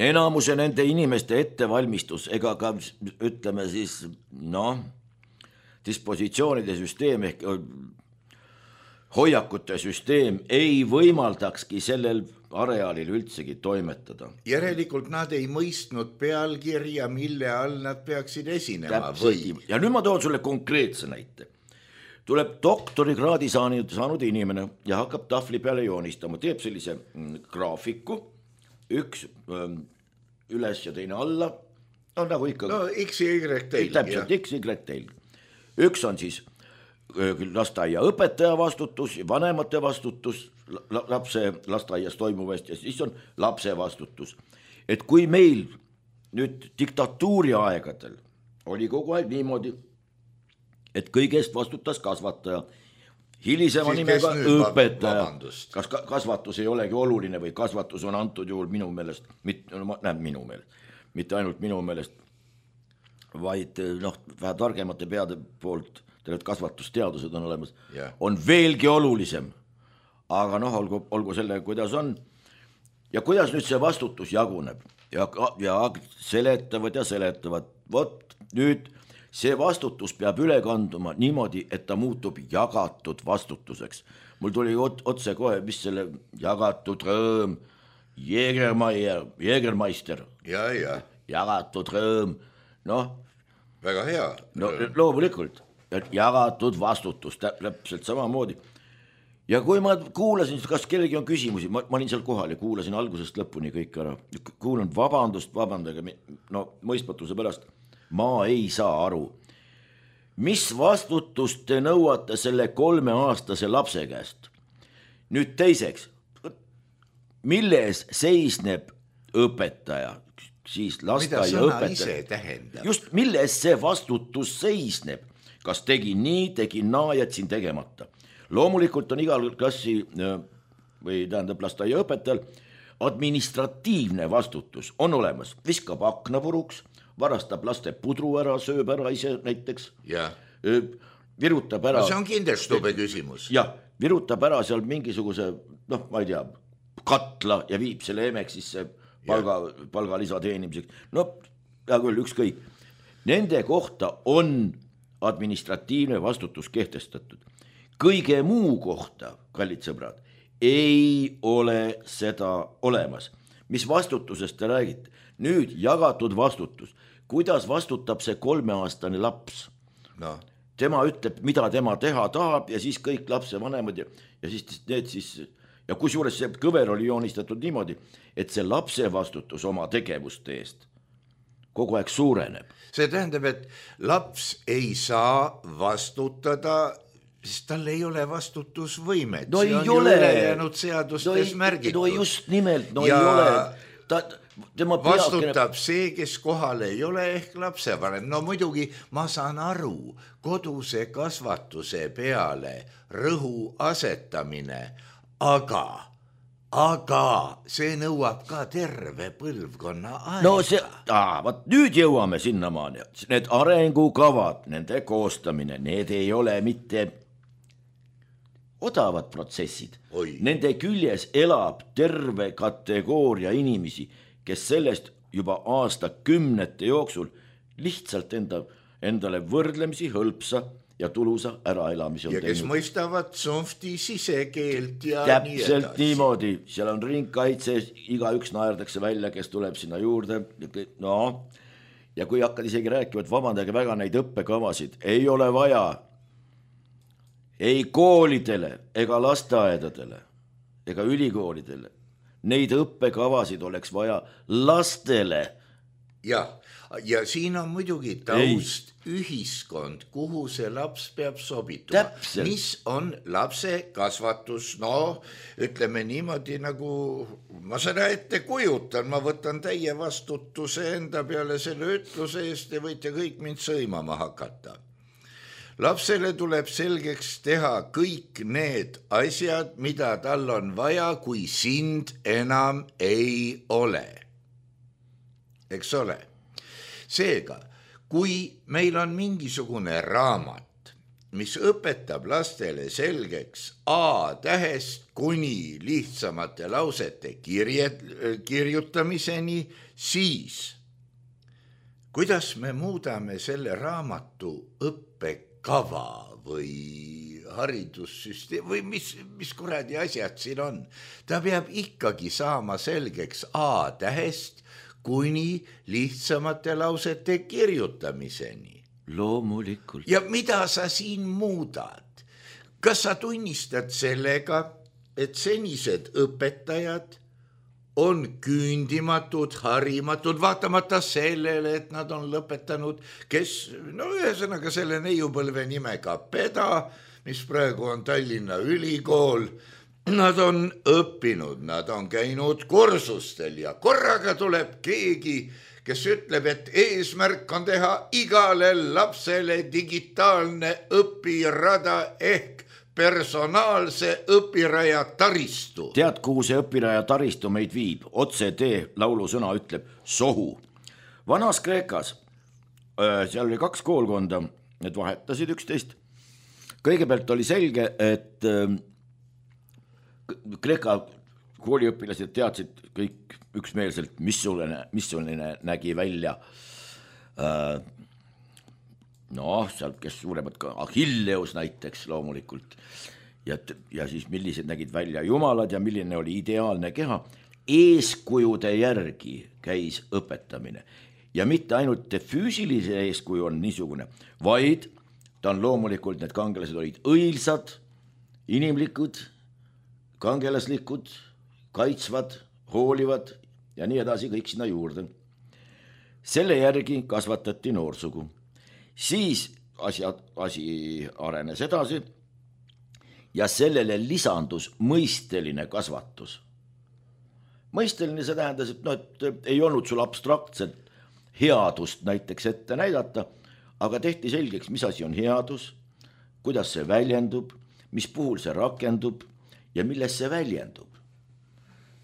Enamuse nende inimeste ettevalmistus, ega ka ütleme siis, noh, dispositsioonide süsteem ehk hoiakute süsteem ei võimaldakski sellel areaalil üldsegi toimetada. Järelikult nad ei mõistnud pealkirja, mille all nad peaksid esinema või? Ja nüüd ma toon sulle konkreetse näite. Tuleb doktorikraadi saanud, saanud inimene ja hakkab tahvli peale joonistama, teeb sellise graafiku, üks ähm, üles ja teine alla, no nagu ikka. No X ja Y teil. Täpselt, X ja Y teil. Üks on siis lasteaia õpetaja vastutus, vanemate vastutus, lapse lasteaias toimuvast ja siis on lapse vastutus. Et kui meil nüüd diktatuuri aegadel oli kogu aeg niimoodi, et kõigest vastutas kasvataja, hilisema siis nimega õpetaja, kas kasvatus ei olegi oluline või kasvatus on antud juhul minu meelest, mit, no, näe, minu meelest, mitte ainult minu meelest, vaid noh, vähe targemate peade poolt et kasvatusteadused on olemas, yeah. On veelgi olulisem. Aga noh, olgu, olgu selle, kuidas on. Ja kuidas nüüd see vastutus jaguneb ja, ja seletavad ja seletavad. Vot nüüd see vastutus peab üle kanduma niimoodi, et ta muutub jagatud vastutuseks. Mul tuli otse kohe, mis selle jagatud rõõm, Jägermeier, Jägermeister, ja, ja. Jagatud rõõm, noh. Väga hea. No, loomulikult. Jagatud vastutus, täpselt samamoodi. Ja kui ma kuulasin, kas kellegi on küsimusi, ma, ma olin seal kohal ja kuulasin algusest lõpuni kõik ära. Kuulan vabandust, vabandage, no mõistmatuse pärast, ma ei saa aru. Mis vastutust te nõuate selle kolmeaastase lapse käest? Nüüd teiseks, milles seisneb õpetaja? Siis mida sõna ise tähendab? Just, milles see vastutus seisneb? Kas tegin nii, tegin naa, jätsin tegemata. Loomulikult on igal klassi või tähendab lasteaia õpetajal administratiivne vastutus on olemas. Viskab akna puruks, varastab laste pudru ära, sööb ära ise näiteks. Ja. Virutab ära. No see on kinderstube küsimus. Ja, virutab ära seal mingisuguse, noh, ma ei tea, katla ja viib selle emeksisse palga, palgalisa teenimiseks. No, hea küll, ükskõik. Nende kohta on administratiivne vastutus kehtestatud. Kõige muu kohta, kallid sõbrad, ei ole seda olemas. Mis vastutusest te räägite? Nüüd jagatud vastutus. Kuidas vastutab see kolmeaastane laps? No. Tema ütleb, mida tema teha tahab ja siis kõik lapse vanemad ja, ja siis need siis, ja kusjuures see kõver oli joonistatud niimoodi, et see lapse vastutus oma tegevuste eest kogu aeg suureneb. See tähendab, et laps ei saa vastutada, sest tal ei ole vastutusvõimet. No see on ei ole. Ju ülejäänud seadustes no märgitud. No just nimelt, no ja ei ole. Ta, tema vastutab peakene... see, kes kohal ei ole ehk lapsevanem. No muidugi ma saan aru, koduse kasvatuse peale rõhu asetamine, aga aga see nõuab ka terve põlvkonna aega. no see, vaat nüüd jõuame sinnamaani, need arengukavad, nende koostamine, need ei ole mitte odavad protsessid. Oi. Nende küljes elab terve kategooria inimesi, kes sellest juba aastakümnete jooksul lihtsalt enda, endale võrdlemisi hõlpsa ja tulusa äraelamise. Ja kes teinud. Mõistavad sunfti sisekeelt ja täpselt nii niimoodi, seal on ringkaitse, iga üks naerdakse välja, kes tuleb sinna juurde. No, ja kui hakkad isegi rääkima, et vabandage väga neid õppekavasid, ei ole vaja ei koolidele ega lasteaedadele ega ülikoolidele. Neid õppekavasid oleks vaja lastele. Ja, ja siin on muidugi taust ei. Ühiskond, kuhu see laps peab sobituma. Täpselt. Mis on lapse kasvatus? No, ütleme niimoodi, nagu ma seda ette kujutan, ma võtan täie vastutuse enda peale selle ütluse eest ja võite kõik mind sõimama hakata. Lapsele tuleb selgeks teha kõik need asjad, mida tal on vaja, kui sind enam ei ole. Eks ole? Seega, kui meil on mingisugune raamat, mis õpetab lastele selgeks A tähest kuni lihtsamate lausete kirjed, kirjutamiseni, siis kuidas me muudame selle raamatu õppekava või haridussüsteem või mis, mis kuradi asjad siin on. Ta peab ikkagi saama selgeks A tähest kuni lihtsamate lausete kirjutamiseni. Loomulikult. Ja mida sa siin muudad? Kas sa tunnistad sellega, et senised õpetajad on küündimatud, harimatud, vaatamata sellele, et nad on lõpetanud, kes, no ühesõnaga selle neiupõlve nimega Peda, mis praegu on Tallinna Ülikool, nad on õppinud, nad on käinud kursustel ja korraga tuleb keegi, kes ütleb, et eesmärk on teha igale lapsele digitaalne õpirada ehk personaalse õpiraja taristu. Tead, kuhu see õpiraja taristu meid viib? Otse tee laulusõna ütleb sohu. Vanas Kreekas, seal oli kaks koolkonda, need vahetasid üksteist. Kõigepealt oli selge, et Kreeka kooliõpilased teadsid kõik üksmeelselt, missugune, missugune nägi välja noh, sealt kes suuremad ka, Achilleus näiteks loomulikult ja, ja siis millised nägid välja jumalad ja milline oli ideaalne keha. Eeskujude järgi käis õpetamine ja mitte ainult füüsilise eeskuju on niisugune, vaid ta on loomulikult, need kangelased olid õilsad, inimlikud, kangelaslikud, kaitsvad, hoolivad ja nii edasi kõik sinna juurde. Selle järgi kasvatati noorsugu. Siis asi, asi arenes edasi ja sellele lisandus mõisteline kasvatus. Mõisteline see tähendas, et, no, et ei olnud sul abstraktset headust näiteks ette näidata, aga tehti selgeks, mis asi on headus, kuidas see väljendub, mis puhul see rakendub ja milles see väljendub.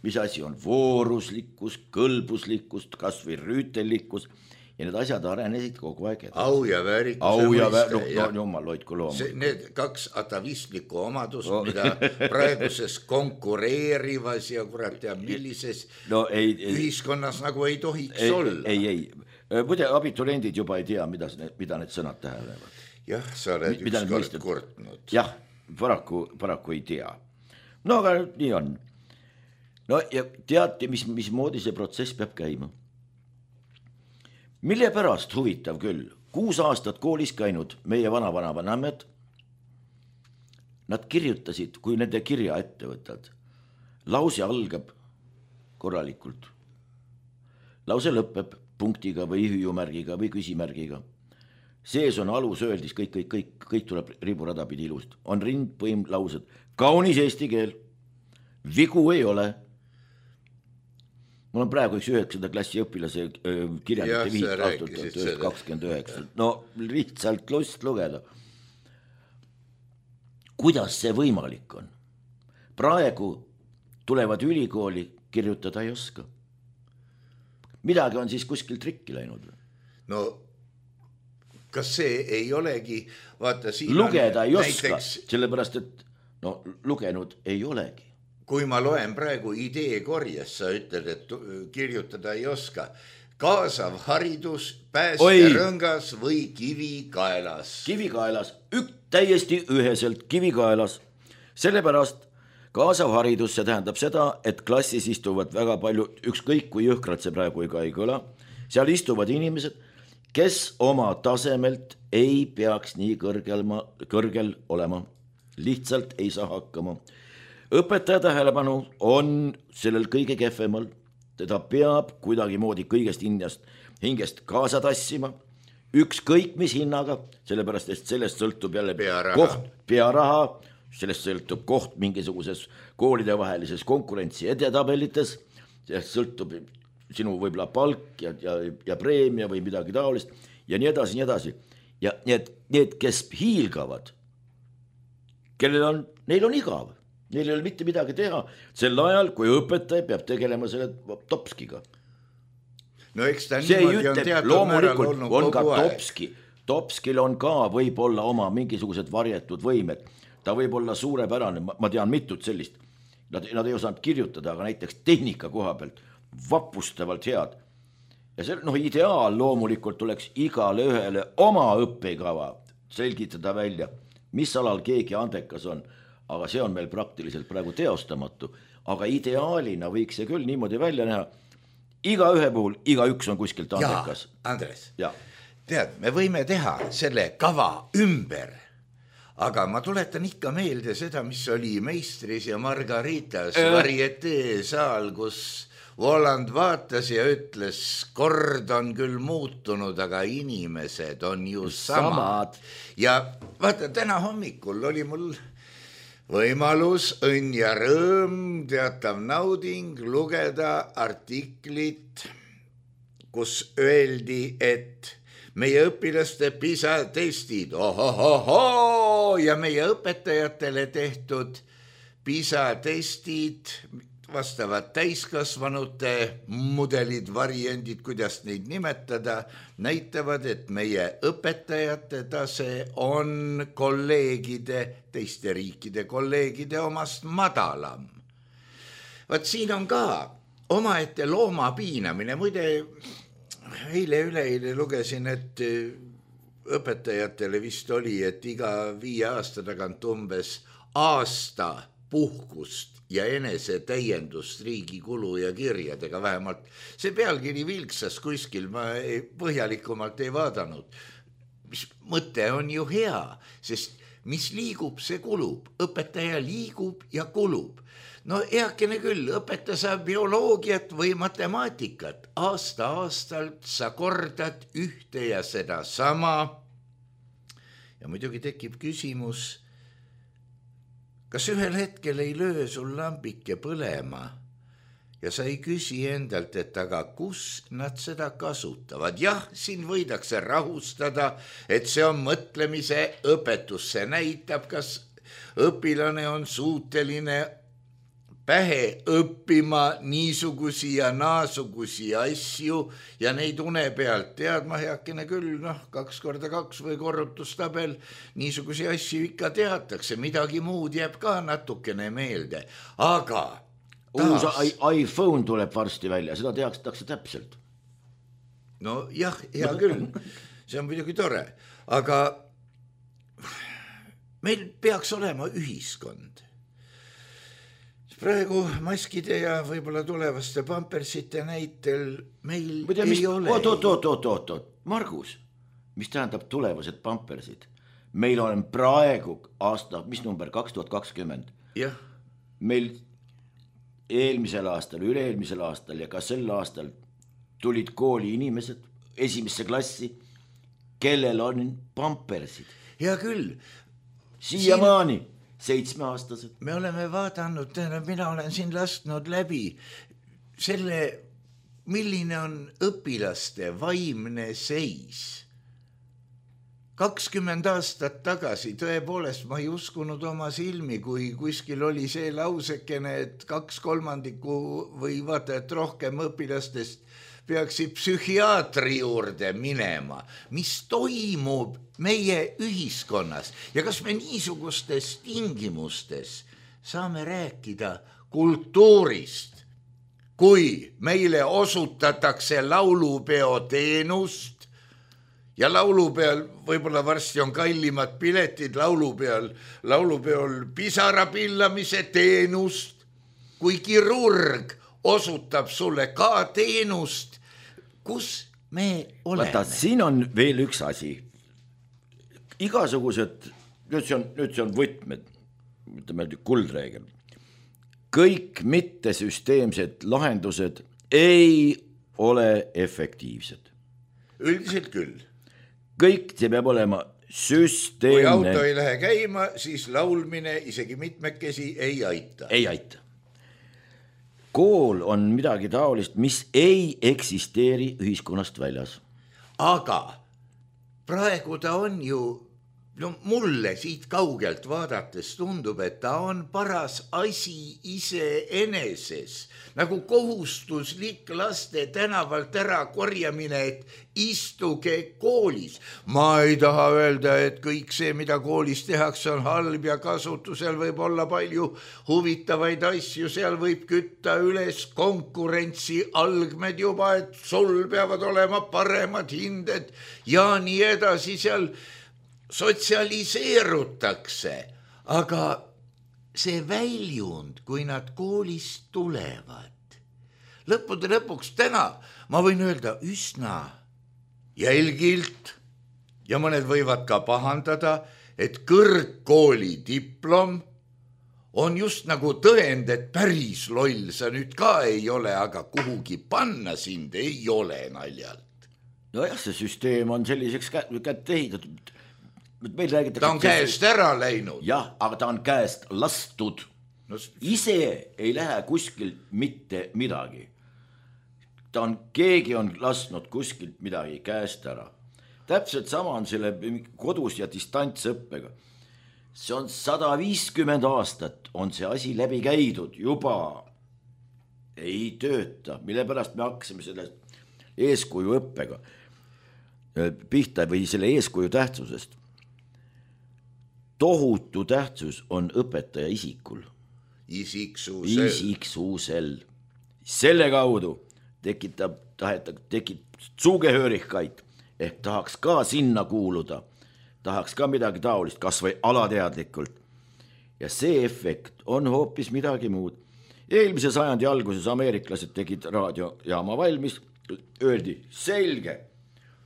Mis asi on vooruslikkus, kõlbuslikkus, kas või rüütellikkus. Ja need asjad arenesid kogu aeg edasi. Au ja väärikuse Au ja mõiste. No, no, jumal hoidku loomu. Need kaks atavistlikku omadust, no. mida praeguses konkureerivas ja kurat ja millises no, ei, ei, ühiskonnas nagu ei tohiks ei, olla. Ei, ei. Muide, abituriendid juba ei tea, mida, mida need sõnad tähendavad. Jah, sa oled mida ükskord kurtnud. Jah, paraku, paraku ei tea. No aga nii on. No ja teati, mis, mis moodi see protsess peab käima. Mille pärast huvitav küll, kuus aastat koolis käinud meie vana-vana-vanamed, nad kirjutasid, kui nende kirja ette võtad, lause algab korralikult. Lause lõpeb punktiga või hüüumärgiga või küsimärgiga. Sees on alus öeldis, kõik, kõik, kõik, kõik tuleb riburada pidi ilust. On rind, põim, laused. Kaunis eesti keel. Vigu ei ole. Mul on praegu üks üheksanda klassi õpilase kirjandite viis aastat kakskümmend üheksa. No lihtsalt lust lugeda. Kuidas see võimalik on? Praegu tulevad ülikooli, kirjutada ei oska. Midagi on siis kuskil trikki läinud. No kas see ei olegi, vaata siin lugeda ei näiteks... oska, sellepärast et no lugenud ei olegi. Kui ma loen praegu ideekorjes, sa ütled, et kirjutada ei oska. Kaasav haridus, päästerõngas või kivikaelas? Kivikaelas, ük, täiesti üheselt kivikaelas. Sellepärast kaasav haridus, see tähendab seda, et klassis istuvad väga palju, ükskõik kui jõhkralt see praegu ega ei kõla, seal istuvad inimesed, kes oma tasemelt ei peaks nii kõrgel, kõrgel olema. Lihtsalt ei saa hakkama. Õpetaja tähelepanu on sellel kõige kehvemal. Teda peab kuidagi moodi kõigest hingest, hingest kaasa tassima. Ükskõik mis hinnaga, sellepärast et sellest sõltub jälle pearaha. koht, pearaha, sellest sõltub koht mingisuguses koolide vahelises konkurentsi edetabelites, sellest sõltub sinu võib-olla palk ja, ja, ja preemia või midagi taolist ja nii edasi, nii edasi. Ja need, need, kes hiilgavad, kellel on, neil on igav, neil ei ole mitte midagi teha sel ajal, kui õpetaja peab tegelema selle topskiga. No eks ta see niimoodi on ütleb, teatud määral olnud on ka kogu aeg. topski. Topskil on ka võib-olla oma mingisugused varjetud võimed. Ta võib olla suurepärane, ma tean mitut sellist. Nad, nad ei osanud kirjutada, aga näiteks tehnika koha pealt vapustavalt head. Ja see, noh, ideaal loomulikult tuleks igale ühele oma õppekava selgitada välja, mis alal keegi andekas on, aga see on meil praktiliselt praegu teostamatu. Aga ideaalina võiks see küll niimoodi välja näha. Iga ühe puhul, iga üks on kuskilt andekas. Ja, Andres, ja. Tead, me võime teha selle kava ümber, aga ma tuletan ikka meelde seda, mis oli Meistris ja Margaritas äh. varietee saal, kus Voland vaatas ja ütles, kord on küll muutunud, aga inimesed on ju samad. samad. Ja vaata, täna hommikul oli mul võimalus, õnn ja rõõm, teatav nauding lugeda artiklit, kus öeldi, et meie õpilaste PISA testid, ohohoho, ja meie õpetajatele tehtud PISA testid, vastavad täiskasvanute mudelid, variandid, kuidas neid nimetada, näitavad, et meie õpetajate tase on kolleegide, teiste riikide kolleegide omast madalam. Vaat siin on ka omaette looma piinamine. Muide, eile üleeile lugesin, et õpetajatele vist oli, et iga viie aasta tagant umbes aasta puhkust ja enese täiendust riigi kulu ja kirjadega vähemalt. See pealkiri vilksas kuskil, ma ei, põhjalikumalt ei vaadanud. Mis mõte on ju hea, sest mis liigub, see kulub. Õpetaja liigub ja kulub. No eakene küll, õpetaja saab bioloogiat või matemaatikat. Aasta aastalt sa kordad ühte ja seda sama. Ja muidugi tekib küsimus, kas ühel hetkel ei löö sul lambike põlema ja sa ei küsi endalt, et aga kus nad seda kasutavad. Jah, siin võidakse rahustada, et see on mõtlemise õpetus. See näitab, kas õpilane on suuteline pähe õppima niisugusi ja naasugusi asju ja neid une pealt teadma heakene küll, noh, kaks korda kaks või korrutustabel, niisugusi asju ikka teatakse, midagi muud jääb ka natukene meelde, aga uus taas... iPhone tuleb varsti välja, seda teatakse täpselt. No jah, hea küll, see on muidugi tore, aga meil peaks olema ühiskond. Praegu maskide ja võib-olla tulevaste pampersite näitel meil Mõte, ei mis... ole. Oot, oot, oot, oot, oot, oot. Margus, mis tähendab tulevased pampersid? Meil on praegu aasta, mis number, kaks tuhat kakskümmend. Jah. Meil eelmisel aastal, üle-eelmisel aastal ja ka sel aastal tulid kooli inimesed esimesse klassi, kellel on pampersid. Hea küll. Siiamaani. Siin... seitsmeaastased. Me oleme vaadanud, mina olen siin lastnud läbi selle, milline on õpilaste vaimne seis. kakskümmend aastat tagasi tõepoolest ma ei uskunud oma silmi, kui kuskil oli see lausekene, et kaks kolmandikku või vaata, et rohkem õpilastest peaksid psühhiaatri juurde minema. Mis toimub meie ühiskonnas ja kas me niisugustes tingimustes saame rääkida kultuurist, kui meile osutatakse laulupeo teenust ja laulupeal võib-olla varsti on kallimad piletid laulupeal, laulupeol pisara pillamise teenust, kui kirurg osutab sulle ka teenust, kus me oleme? Vaata, siin on veel üks asi. Igasugused, nüüd see on, nüüd see on võtmed, ütleme kuldreegel. Kõik mittesüsteemsed lahendused ei ole efektiivsed. Üldiselt küll. Kõik see peab olema süsteemne. Kui auto ei lähe käima, siis laulmine isegi mitmekesi ei aita. Ei aita. Kool on midagi taolist, mis ei eksisteeri ühiskonnast väljas. Aga praegu ta on ju, no mulle siit kaugelt vaadates tundub, et ta on paras asi ise eneses, nagu kohustuslik laste tänavalt ära korjamine, et istuge koolis. Ma ei taha öelda, et kõik see, mida koolis tehakse, on halb ja kasutusel võib olla palju huvitavaid asju, seal võib kütta üles konkurentsi algmed juba, et sul peavad olema paremad hinded ja nii edasi, seal sotsialiseerutakse, aga see väljund, kui nad koolist tulevad, lõppude lõpuks täna, ma võin öelda üsna jälgilt ja mõned võivad ka pahandada, et kõrgkooli diplom on just nagu tõend, et päris loll sa nüüd ka ei ole, aga kuhugi panna sind ei ole naljalt. No jah, see süsteem on selliseks kätte ehitatud. Meil räägitakse, ta on käest ära läinud. Jah, aga ta on käest lastud. No, ise ei lähe kuskil mitte midagi. Ta on, keegi on lasnud kuskilt midagi käest ära. Täpselt sama on selle kodus ja distantsõppega. See on sada viiskümmend aastat on see asi läbi käidud juba. Ei tööta, mille pärast me hakkasime selle eeskuju õppega pihta või selle eeskuju tähtsusest. Tohutu tähtsus on õpetaja isikul. Isiksusel. Isiksusel. Selle kaudu tekitab, tahetab, tekib sugehörigkaid, ehk tahaks ka sinna kuuluda, tahaks ka midagi taolist, kas või alateadlikult. Ja see efekt on hoopis midagi muud. Eelmise sajandi alguses ameeriklased tegid raadiojaama valmis, öeldi selge,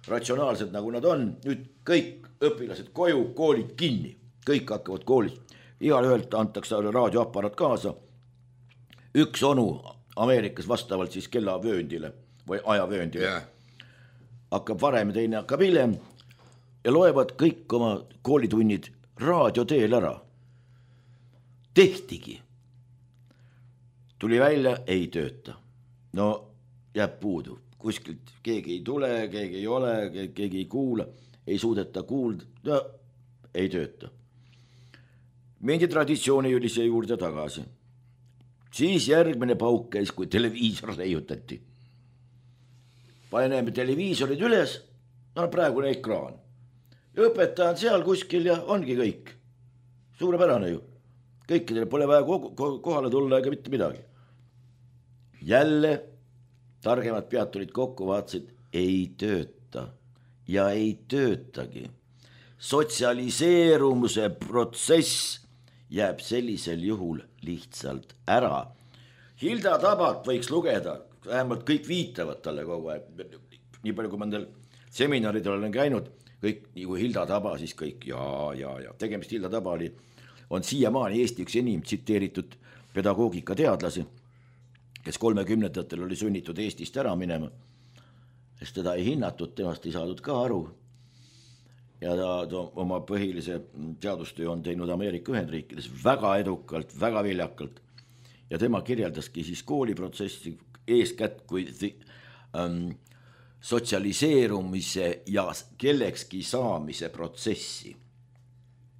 ratsionaalsed nagu nad on, nüüd kõik õpilased koju, koolid kinni. Kõik hakkavad koolis. Igal ühelt antakse raadioapparat kaasa. Üks onu Ameerikas vastavalt siis kellavööndile või ajavööndile. Yeah. Hakkab varem ja teine hakkab hiljem ja loevad kõik oma koolitunnid raadioteel ära. Tehtigi. Tuli välja, ei tööta. No jääb puudu. Kuskilt keegi ei tule, keegi ei ole, keegi ei kuula, ei suudeta kuulda, no, ei tööta. Mendi traditsiooni oli see juurde tagasi. Siis järgmine pauk käis, kui televiisor leiutati. Paneme televiisorid üles, no praegune ekraan. Õpetaja on seal kuskil ja ongi kõik. Suurepärane ju. Kõikidele pole vaja kohale tulla ega mitte midagi. Jälle targemad pead tulid kokku, vaatasid, ei tööta ja ei töötagi. Sotsialiseerumuse protsess jääb sellisel juhul lihtsalt ära. Hilda Tabat võiks lugeda, vähemalt kõik viitavad talle kogu aeg. Nii palju, kui ma nendel seminaridel olen käinud, kõik, nii kui Hilda Taba, siis kõik ja, ja, ja. Tegemist Hilda Taba oli, on siiamaani Eesti üks enim tsiteeritud pedagoogika teadlasi, kes kolmekümnendatel oli sunnitud Eestist ära minema, sest teda ei hinnatud, temast ei saadud ka aru. Ja ta, ta oma põhilise teadustöö on teinud Ameerika Ühendriikides väga edukalt, väga viljakalt. Ja tema kirjeldaski siis kooliprotsessi eeskätt kui the, um, sotsialiseerumise ja kellekski saamise protsessi.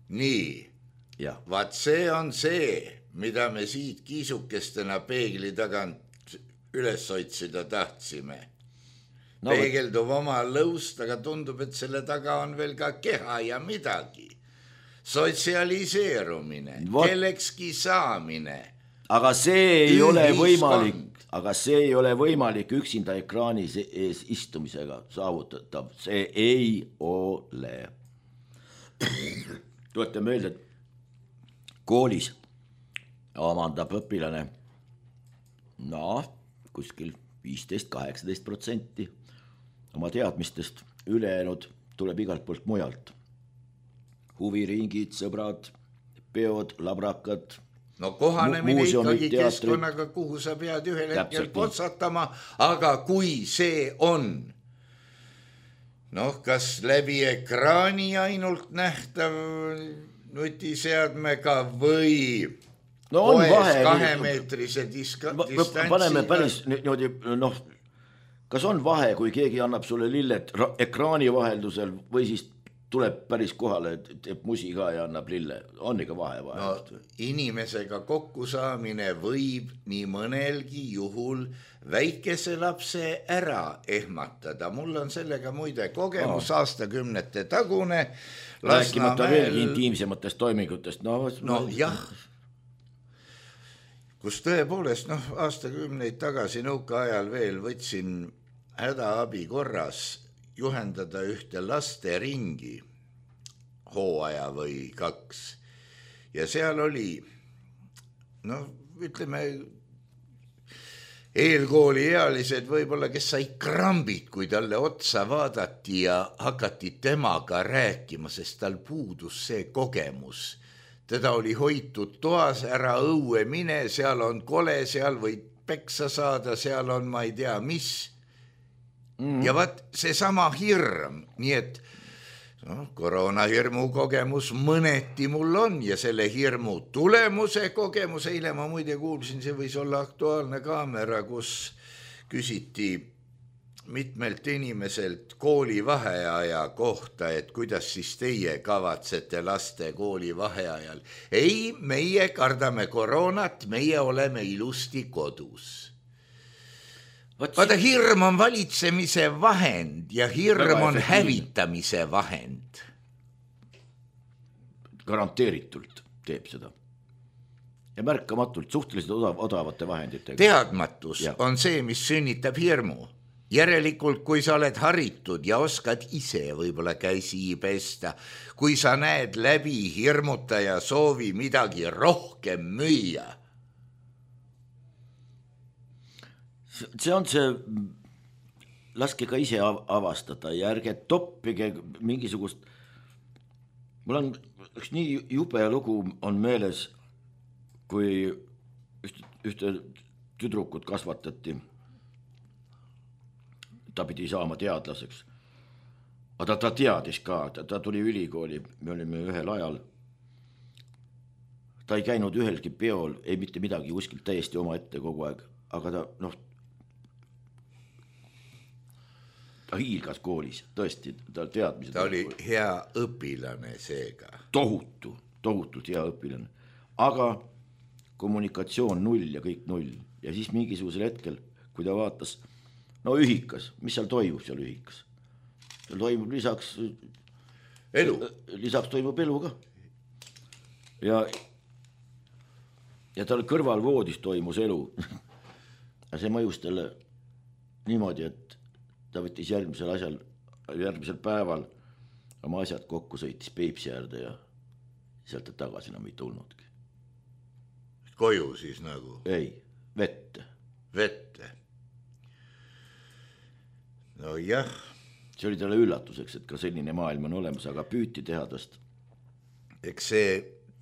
nii, jah, vaat see on see, mida me siit kiisukestena peegli tagant üles otsida tahtsime. No, peegeldub oma lõust, aga tundub, et selle taga on veel ka keha ja midagi. Sotsialiseerumine, What? kellekski saamine. Aga see ei Ühiskond. ole võimalik, aga see ei ole võimalik üksinda ekraani ees istumisega saavutatav. See ei ole. Tulete meelde, et koolis omandab õpilane no, kuskil viisteist kaheksateist protsenti oma teadmistest, ülejäänud tuleb igalt poolt mujalt. Huviringid, sõbrad, peod, labrakad. No kohanemine ikkagi keskkonnaga, kuhu sa pead ühel hetkel potsatama, aga kui see on, noh, kas läbi ekraani ainult nähtav nutiseadmega või no on vahe, kahemeetrise diska, distantsiga. Paneme päris niimoodi, noh, kas on vahe, kui keegi annab sulle lilled ekraani vaheldusel või siis tuleb päris kohale, teeb musi ka ja annab lille, on ikka vahe vahe. No, inimesega kokkusaamine võib nii mõnelgi juhul väikese lapse ära ehmatada. Mul on sellega muide kogemus oh. aastakümnete tagune. Rääkimata veel intiimsematest toimingutest. No, no jah, kus tõepoolest, noh, aastakümneid tagasi nõukaajal veel võtsin hädaabi korras juhendada ühte lasteringi hooaja või kaks ja seal oli, noh, ütleme eelkooliealised võib-olla, kes sai krambid, kui talle otsa vaadati ja hakati temaga rääkima, sest tal puudus see kogemus. Teda oli hoitud toas, ära õue mine, seal on kole, seal võid peksa saada, seal on ma ei tea mis. Mm. Ja vaat see sama hirm, nii et no, koroonahirmu kogemus mõneti mul on ja selle hirmu tulemuse kogemus, eile ma muide kuulsin, see võis olla Aktuaalne Kaamera, kus küsiti mitmelt inimeselt kooli vaheaja kohta, et kuidas siis teie kavatsete laste kooli vaheajal. Ei, meie kardame koroonat, meie oleme ilusti kodus. Vaata, hirm on valitsemise vahend ja hirm on hävitamise vahend. Garanteeritult teeb seda. Ja märkamatult, suhteliselt odav, odavate vahenditega. Teadmatus ja. on see, mis sünnitab hirmu. Järelikult, kui sa oled haritud ja oskad ise võib-olla käsi pesta, kui sa näed läbi hirmutaja soovi midagi rohkem müüa. See on see, laske ka ise avastada ja ärge toppige mingisugust, mul on üks nii jube lugu on meeles, kui ühte, ühte tüdrukut kasvatati, ta pidi saama teadlaseks, aga ta, ta teadis ka, ta, ta tuli ülikooli, me olime ühel ajal, ta ei käinud ühelgi peol, ei mitte midagi kuskilt täiesti oma ette kogu aeg, aga ta, noh, ta hiilgas koolis, tõesti, ta teadmised. Ta oli hea õpilane seega. Tohutu, tohutult hea õpilane. Aga kommunikatsioon null ja kõik null. Ja siis mingisugusel hetkel, kui ta vaatas, no ühikas, mis seal toimub seal ühikas? Seal toimub lisaks elu. Lisaks toimub elu ka. Ja, ja tal kõrval voodis toimus elu. Ja see mõjus talle niimoodi, et ta võttis järgmisel asjal, järgmisel päeval oma asjad kokku, sõitis Peipsi äärde ja sealt tagasi enam ei tulnudki. Koju siis nagu? Ei, vette. Vette. No jah. See oli talle üllatuseks, et ka selline maailm on olemas, aga püüti teha tast. Eks see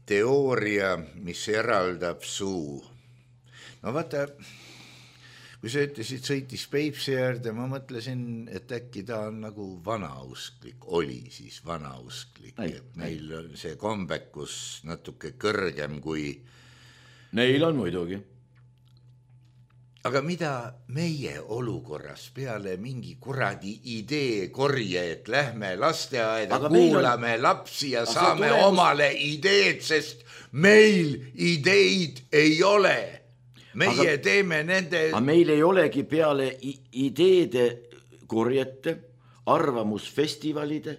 teooria, mis eraldab suu. No vaata... Kui sa ütlesid, sõitis Peipsi äärde, ma mõtlesin, et äkki ta on nagu vanausklik, oli siis vanausklik, ei, et meil on see kombekus natuke kõrgem kui... Neil on muidugi. aga mida meie olukorras peale mingi kuradi idee korje, et lähme lasteaeda, kuulame on... lapsi ja aga saame tulemus... omale ideed, sest meil ideid ei ole. Meie aga... teeme nende... Aga meil ei olegi peale ideede korjete, arvamusfestivalide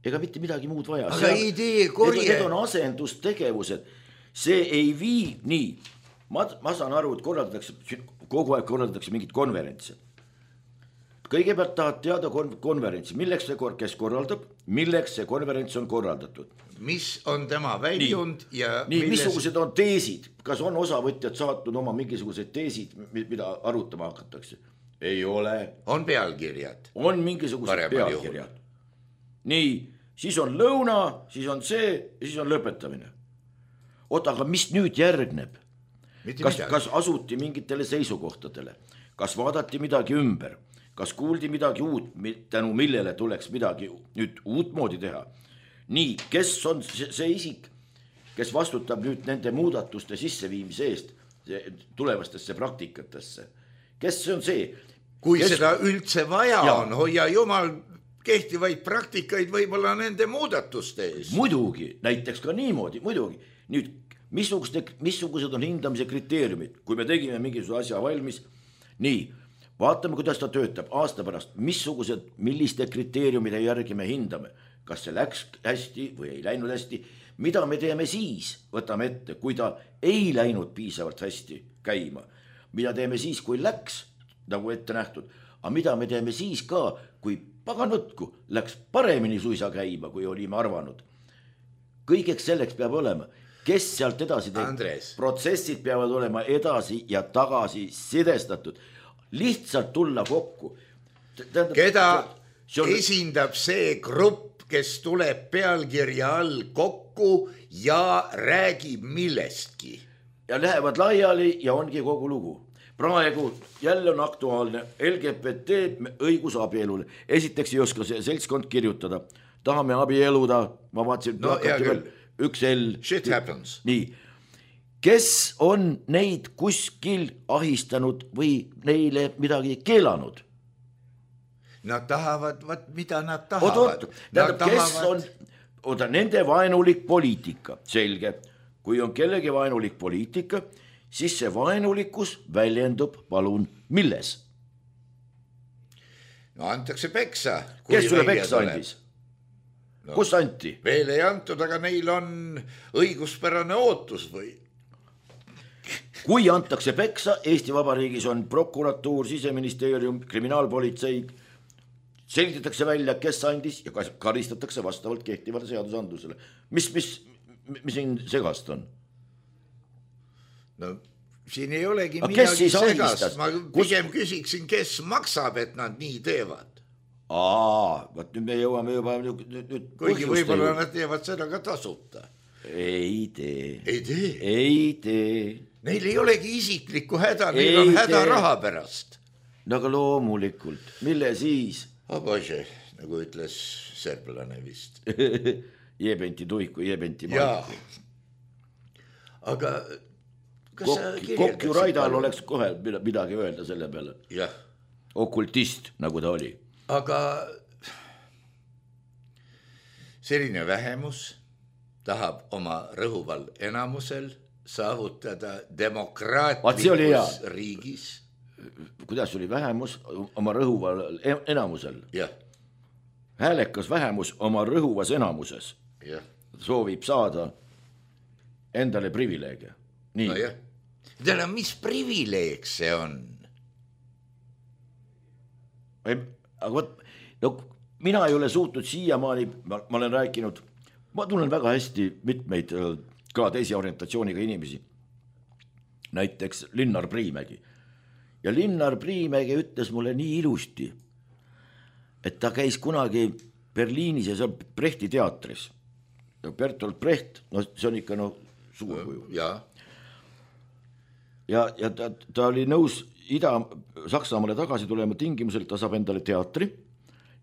ega mitte midagi muud vaja. Aga see, idee korje... Need on asendustegevused. See ei vii nii. Ma, ma saan aru, et korraldatakse, kogu aeg korraldatakse mingit konverentsi. Kõigepealt tahad teada konverentsi, milleks see, kes korraldab, milleks see konverents on korraldatud. Mis on tema väljund nii, ja... Nii, milles... missugused on teesid? Kas on osavõtjad saatnud oma mingisugused teesid, mida arutama hakatakse? Ei ole. On pealkirjad. On mingisugused pealkirjad. Nii, siis on lõuna, siis on see ja siis on lõpetamine. Oota, aga mis nüüd järgneb? Kas, kas asuti mingitele seisukohtadele? Kas vaadati midagi ümber? Kas kuuldi midagi uut, tänu millele tuleks midagi nüüd uut moodi teha? Nii, kes on see isik, kes vastutab nüüd nende muudatuste sisseviimise eest tulevastesse praktikatesse? Kes see on see? Kui kes... seda üldse vaja ja. On, hoia jumal kehtivaid praktikaid võib-olla nende muudatuste eest. Muidugi, näiteks ka niimoodi, muidugi. Nüüd, missugused, missugused on hindamise kriteeriumid, kui me tegime mingisuguse asja valmis, nii, vaatame, kuidas ta töötab aasta pärast, missugused, milliste kriteeriumide järgi me hindame, kas see läks hästi või ei läinud hästi, mida me teeme siis, võtame ette, kui ta ei läinud piisavalt hästi käima, mida teeme siis, kui läks, nagu ette nähtud, aga mida me teeme siis ka, kui pagan võtku, läks paremini suisa käima, kui olime arvanud. Kõigeks selleks peab olema, kes sealt edasi teeb. Protsessid peavad olema edasi ja tagasi sidestatud. Lihtsalt tulla kokku. Tähendab, keda see on... esindab see grupp, kes tuleb pealkirja all kokku ja räägib millestki. Ja lähevad laiali ja ongi kogu lugu. Praegu jälle on aktuaalne L G B T õigus abielule. Esiteks ei oska see seltskond kirjutada. Tahame abieluda, ma vaatasin, no, veel, üks L. Shit happens. Nii. Kes on neid kuskil ahistanud või neile midagi keelanud? Nad tahavad, vaat mida nad tahavad. Oot, oot, tähendab, kes tahavad... on, oota, nende vaenulik poliitika, selge. Kui on kellegi vaenulik poliitika, siis see vaenulikkus väljendub, palun, milles? No antakse peksa. Kes sulle peksa andis? No, kus anti? Veel ei antud, aga neil on õiguspärane ootus või? Kui antakse peksa, Eesti Vabariigis on prokuratuur, siseministeerium, kriminaalpolitsei, selgitatakse välja, kes andis ja karistatakse vastavalt kehtivale seadusandlusele. Mis, mis, mis siin segast on? No siin ei olegi aga midagi segast, ma pigem küsiksin, kes maksab, et nad nii teevad. Aa, vaat nüüd me jõuame juba nüüd, nüüd kuigi võib-olla nad teevad seda ka tasuta. Ei tee. Ei tee? Ei tee. Neil ei olegi isiklikku häda, neil ei on häda tee. Raha pärast. No aga loomulikult, mille siis? Abože, nagu ütles serblane vist. Jebenti tuiku, jebenti maiku. Aga Kokju Raidal oleks kohe midagi öelda selle peale. Jah. Okultist, nagu ta oli. Aga selline vähemus tahab oma rõhuval enamusel saavutada demokraatlikus riigis. Kuidas oli vähemus oma rõhuval enamusel? Jah. Häälekas vähemus oma rõhuvas enamuses. Jah. Soovib saada endale privileegia. Nii. No jah. Täna, mis privileeg see on? Aga võt, no, mina ei ole suutnud siiamaani, ma, ma olen rääkinud, ma tunnen väga hästi mitmeid ka teisi orientatsiooniga inimesi. Näiteks Linnar Priimägi. Ja Linnar Priimägi ütles mulle nii ilusti, et ta käis kunagi Berliinis ja see on Brechti teatris. Bertolt Brecht, no see on ikka no suur kuju. Jaa. Ja, ja ta, ta oli nõus Ida-Saksamaale tagasi tulema tingimusel, ta saab endale teatri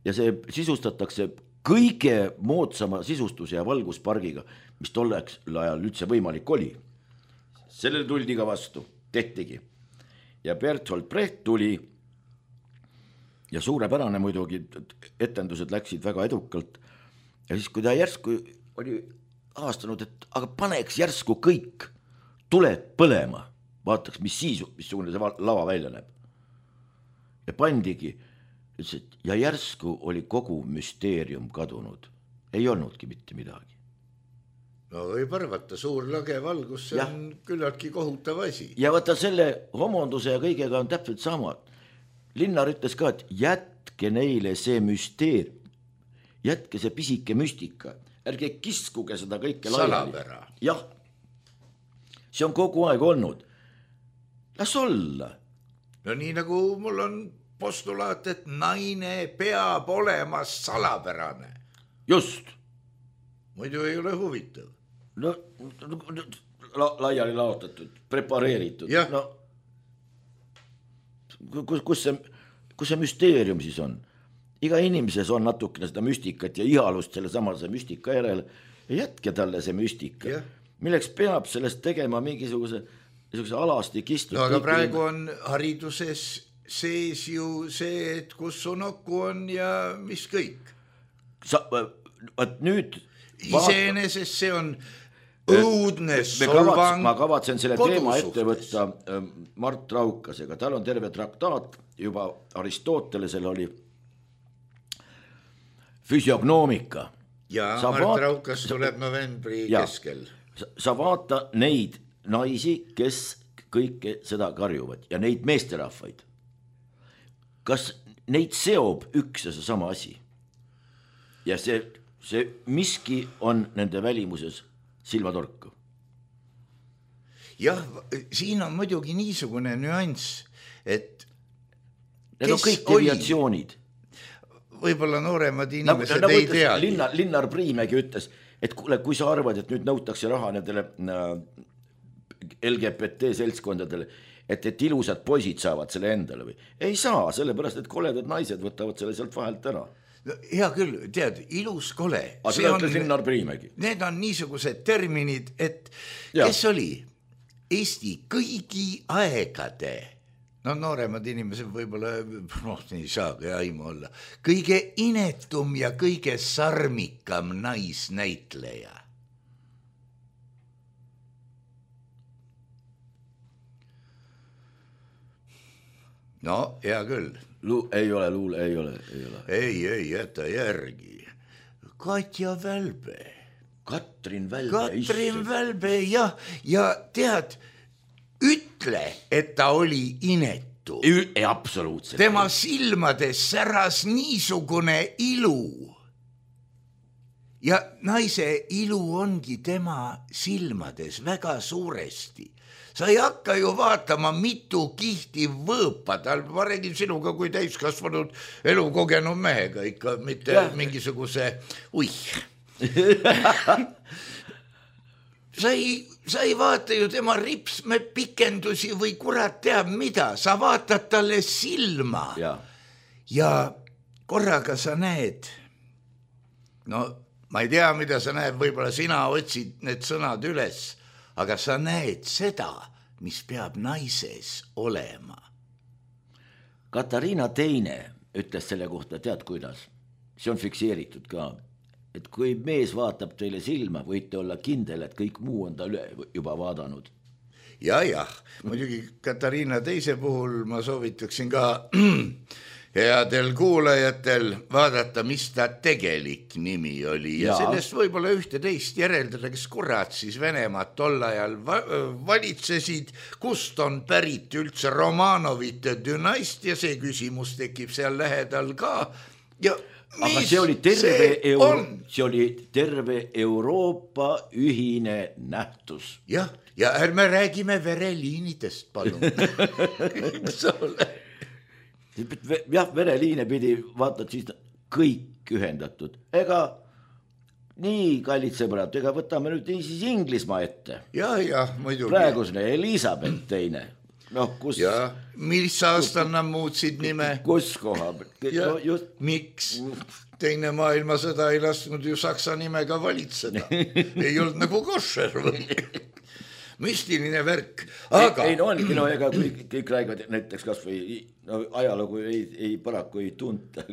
ja see sisustatakse kõige moodsama sisustus- ja valguspargiga, mis tolleks ajal üldse võimalik oli. Sellele tuldi ka vastu, tehtigi. ja Bertolt Brecht tuli ja suurepärane muidugi, etendused läksid väga edukalt ja siis, kui ta järsku oli aastanud, et aga paneks järsku kõik tuled põlema, vaataks, mis siis, missugune see lava välja näeb. Ja pandigi, ütles, et ja järsku oli kogu müsteerium kadunud. Ei olnudki mitte midagi. No võib arvata, suur lage valgus, see ja. On küllaltki kohutav asi. Ja vaata selle homonduse ja kõigega on täpselt sama. Linnar ütles ka, et jätke neile see müsteerium, jätke see pisike müstika, ärge kiskuge seda kõike laiali. Salapära. Jah, see on kogu aeg olnud. Las olla. No nii nagu mul on postulaat, et naine peab olema salapärane. Just. Muidu ei ole huvitav. No la, laiali laotatud, prepareeritud. Ja. No, kus, kus, see, kus see müsteerium siis on? Iga inimeses on natukene seda müstikat ja ihalust selle samase müstika järele ja jätke talle see müstika. Ja. Milleks peab sellest tegema mingisuguse alasti kistud. No aga praegu on hariduses sees ju see, et kus su nokku on ja mis kõik. Sa, vaat nüüd... Iseenesest see on õudne solvang. Ma kavatsen selle teema ette võtta Mart Raukasega. Tal on terve traktaat, juba Aristotelesel oli füsiognoomika. Ja sa Mart vaat... Raukas tuleb novembri ja. Keskel. Sa, sa vaata neid naisi, kes kõike seda karjuvad ja neid meesterahvaid. Kas neid seob üks ja see sama asi? Ja see, see miski on nende välimuses silmatorku. Jah, siin on muidugi niisugune nüanss, et need on kõik deviatsioonid. Võib-olla nooremad inimesed nagu, nagu ei tea. Linnar, Linnar Priimägi ütles, et kuule, kui sa arvad, et nüüd nõutakse raha nendele L G B T seltskondadele, et, et ilusad poisid saavad selle endale või? Ei saa, sellepärast, et koledad naised võtavad selle sealt vahelt ära. No, hea küll, tead, ilus kole. Aga see on Linnar Priimägi. Need on niisugused terminid, et ja. Kes oli Eesti kõigi aegade, no nooremad inimesed võib-olla, noh, ei saagi aimu olla, kõige inetum ja kõige sarmikam naisnäitleja. No, hea küll. Lu- ei ole, luule, ei ole, ei ole. Ei, ei, jäta järgi. Katja Välbe. Katrin Välbe. Katrin Välbe, jah. Ja tead, ütle, et ta oli inetu. Ei, absoluutselt. Tema silmades säras niisugune ilu. Ja naise ilu ongi tema silmades väga suuresti. Sa ei hakka ju vaatama mitu kihti võõpa, tal ma räägin sinuga kui täiskasvanud elukogenud mehega ikka, mitte ja. Mingisuguse, ui. sa, ei, sa ei vaata ju tema ripsme pikendusi või kurat teab mida, sa vaatad talle silma ja, ja korraga sa näed, no ma ei tea, mida sa näed, võib-olla sina otsid need sõnad üles, aga sa näed seda, mis peab naises olema. Katariina Teine ütles selle kohta, tead kuidas, see on fikseeritud ka, et kui mees vaatab teile silma, võite olla kindel, et kõik muu on ta üle juba vaadanud. Ja, jah, muidugi Katariina Teise puhul ma soovitaksin ka headel kuulajatel vaadata, mis ta tegelik nimi oli ja, ja sellest võib-olla ühte teist järeldada, kes kurat siis Venemaad tol ajal va- valitsesid, kust on pärit üldse Romanovite dünastia, see küsimus tekib seal lähedal ka. Ja aga see oli terve, see Euro- see oli terve Euroopa ühine nähtus. Jah, ja ärme räägime vereliinidest, palun. Eks ole. Jah, vereliine pidi vaatad siis kõik ühendatud. Ega nii, kallid sõbrad, ega võtame nüüd siis Inglismaa ette. Ja, ja, muidugi. Praegusne Elisabeth Teine. No, kus... Ja, mis aastal nad muutsid nime? Kus koha? Ja, no, just... miks? Teine maailmasõda ei lasknud ju Saksa nimega valitseda. Ei olnud nagu košer või? müstiline värk, aga ei no ongi, no ega kõik, kõik räägivad näiteks kas või no, ajalugu ei, ei paraku ei tunta.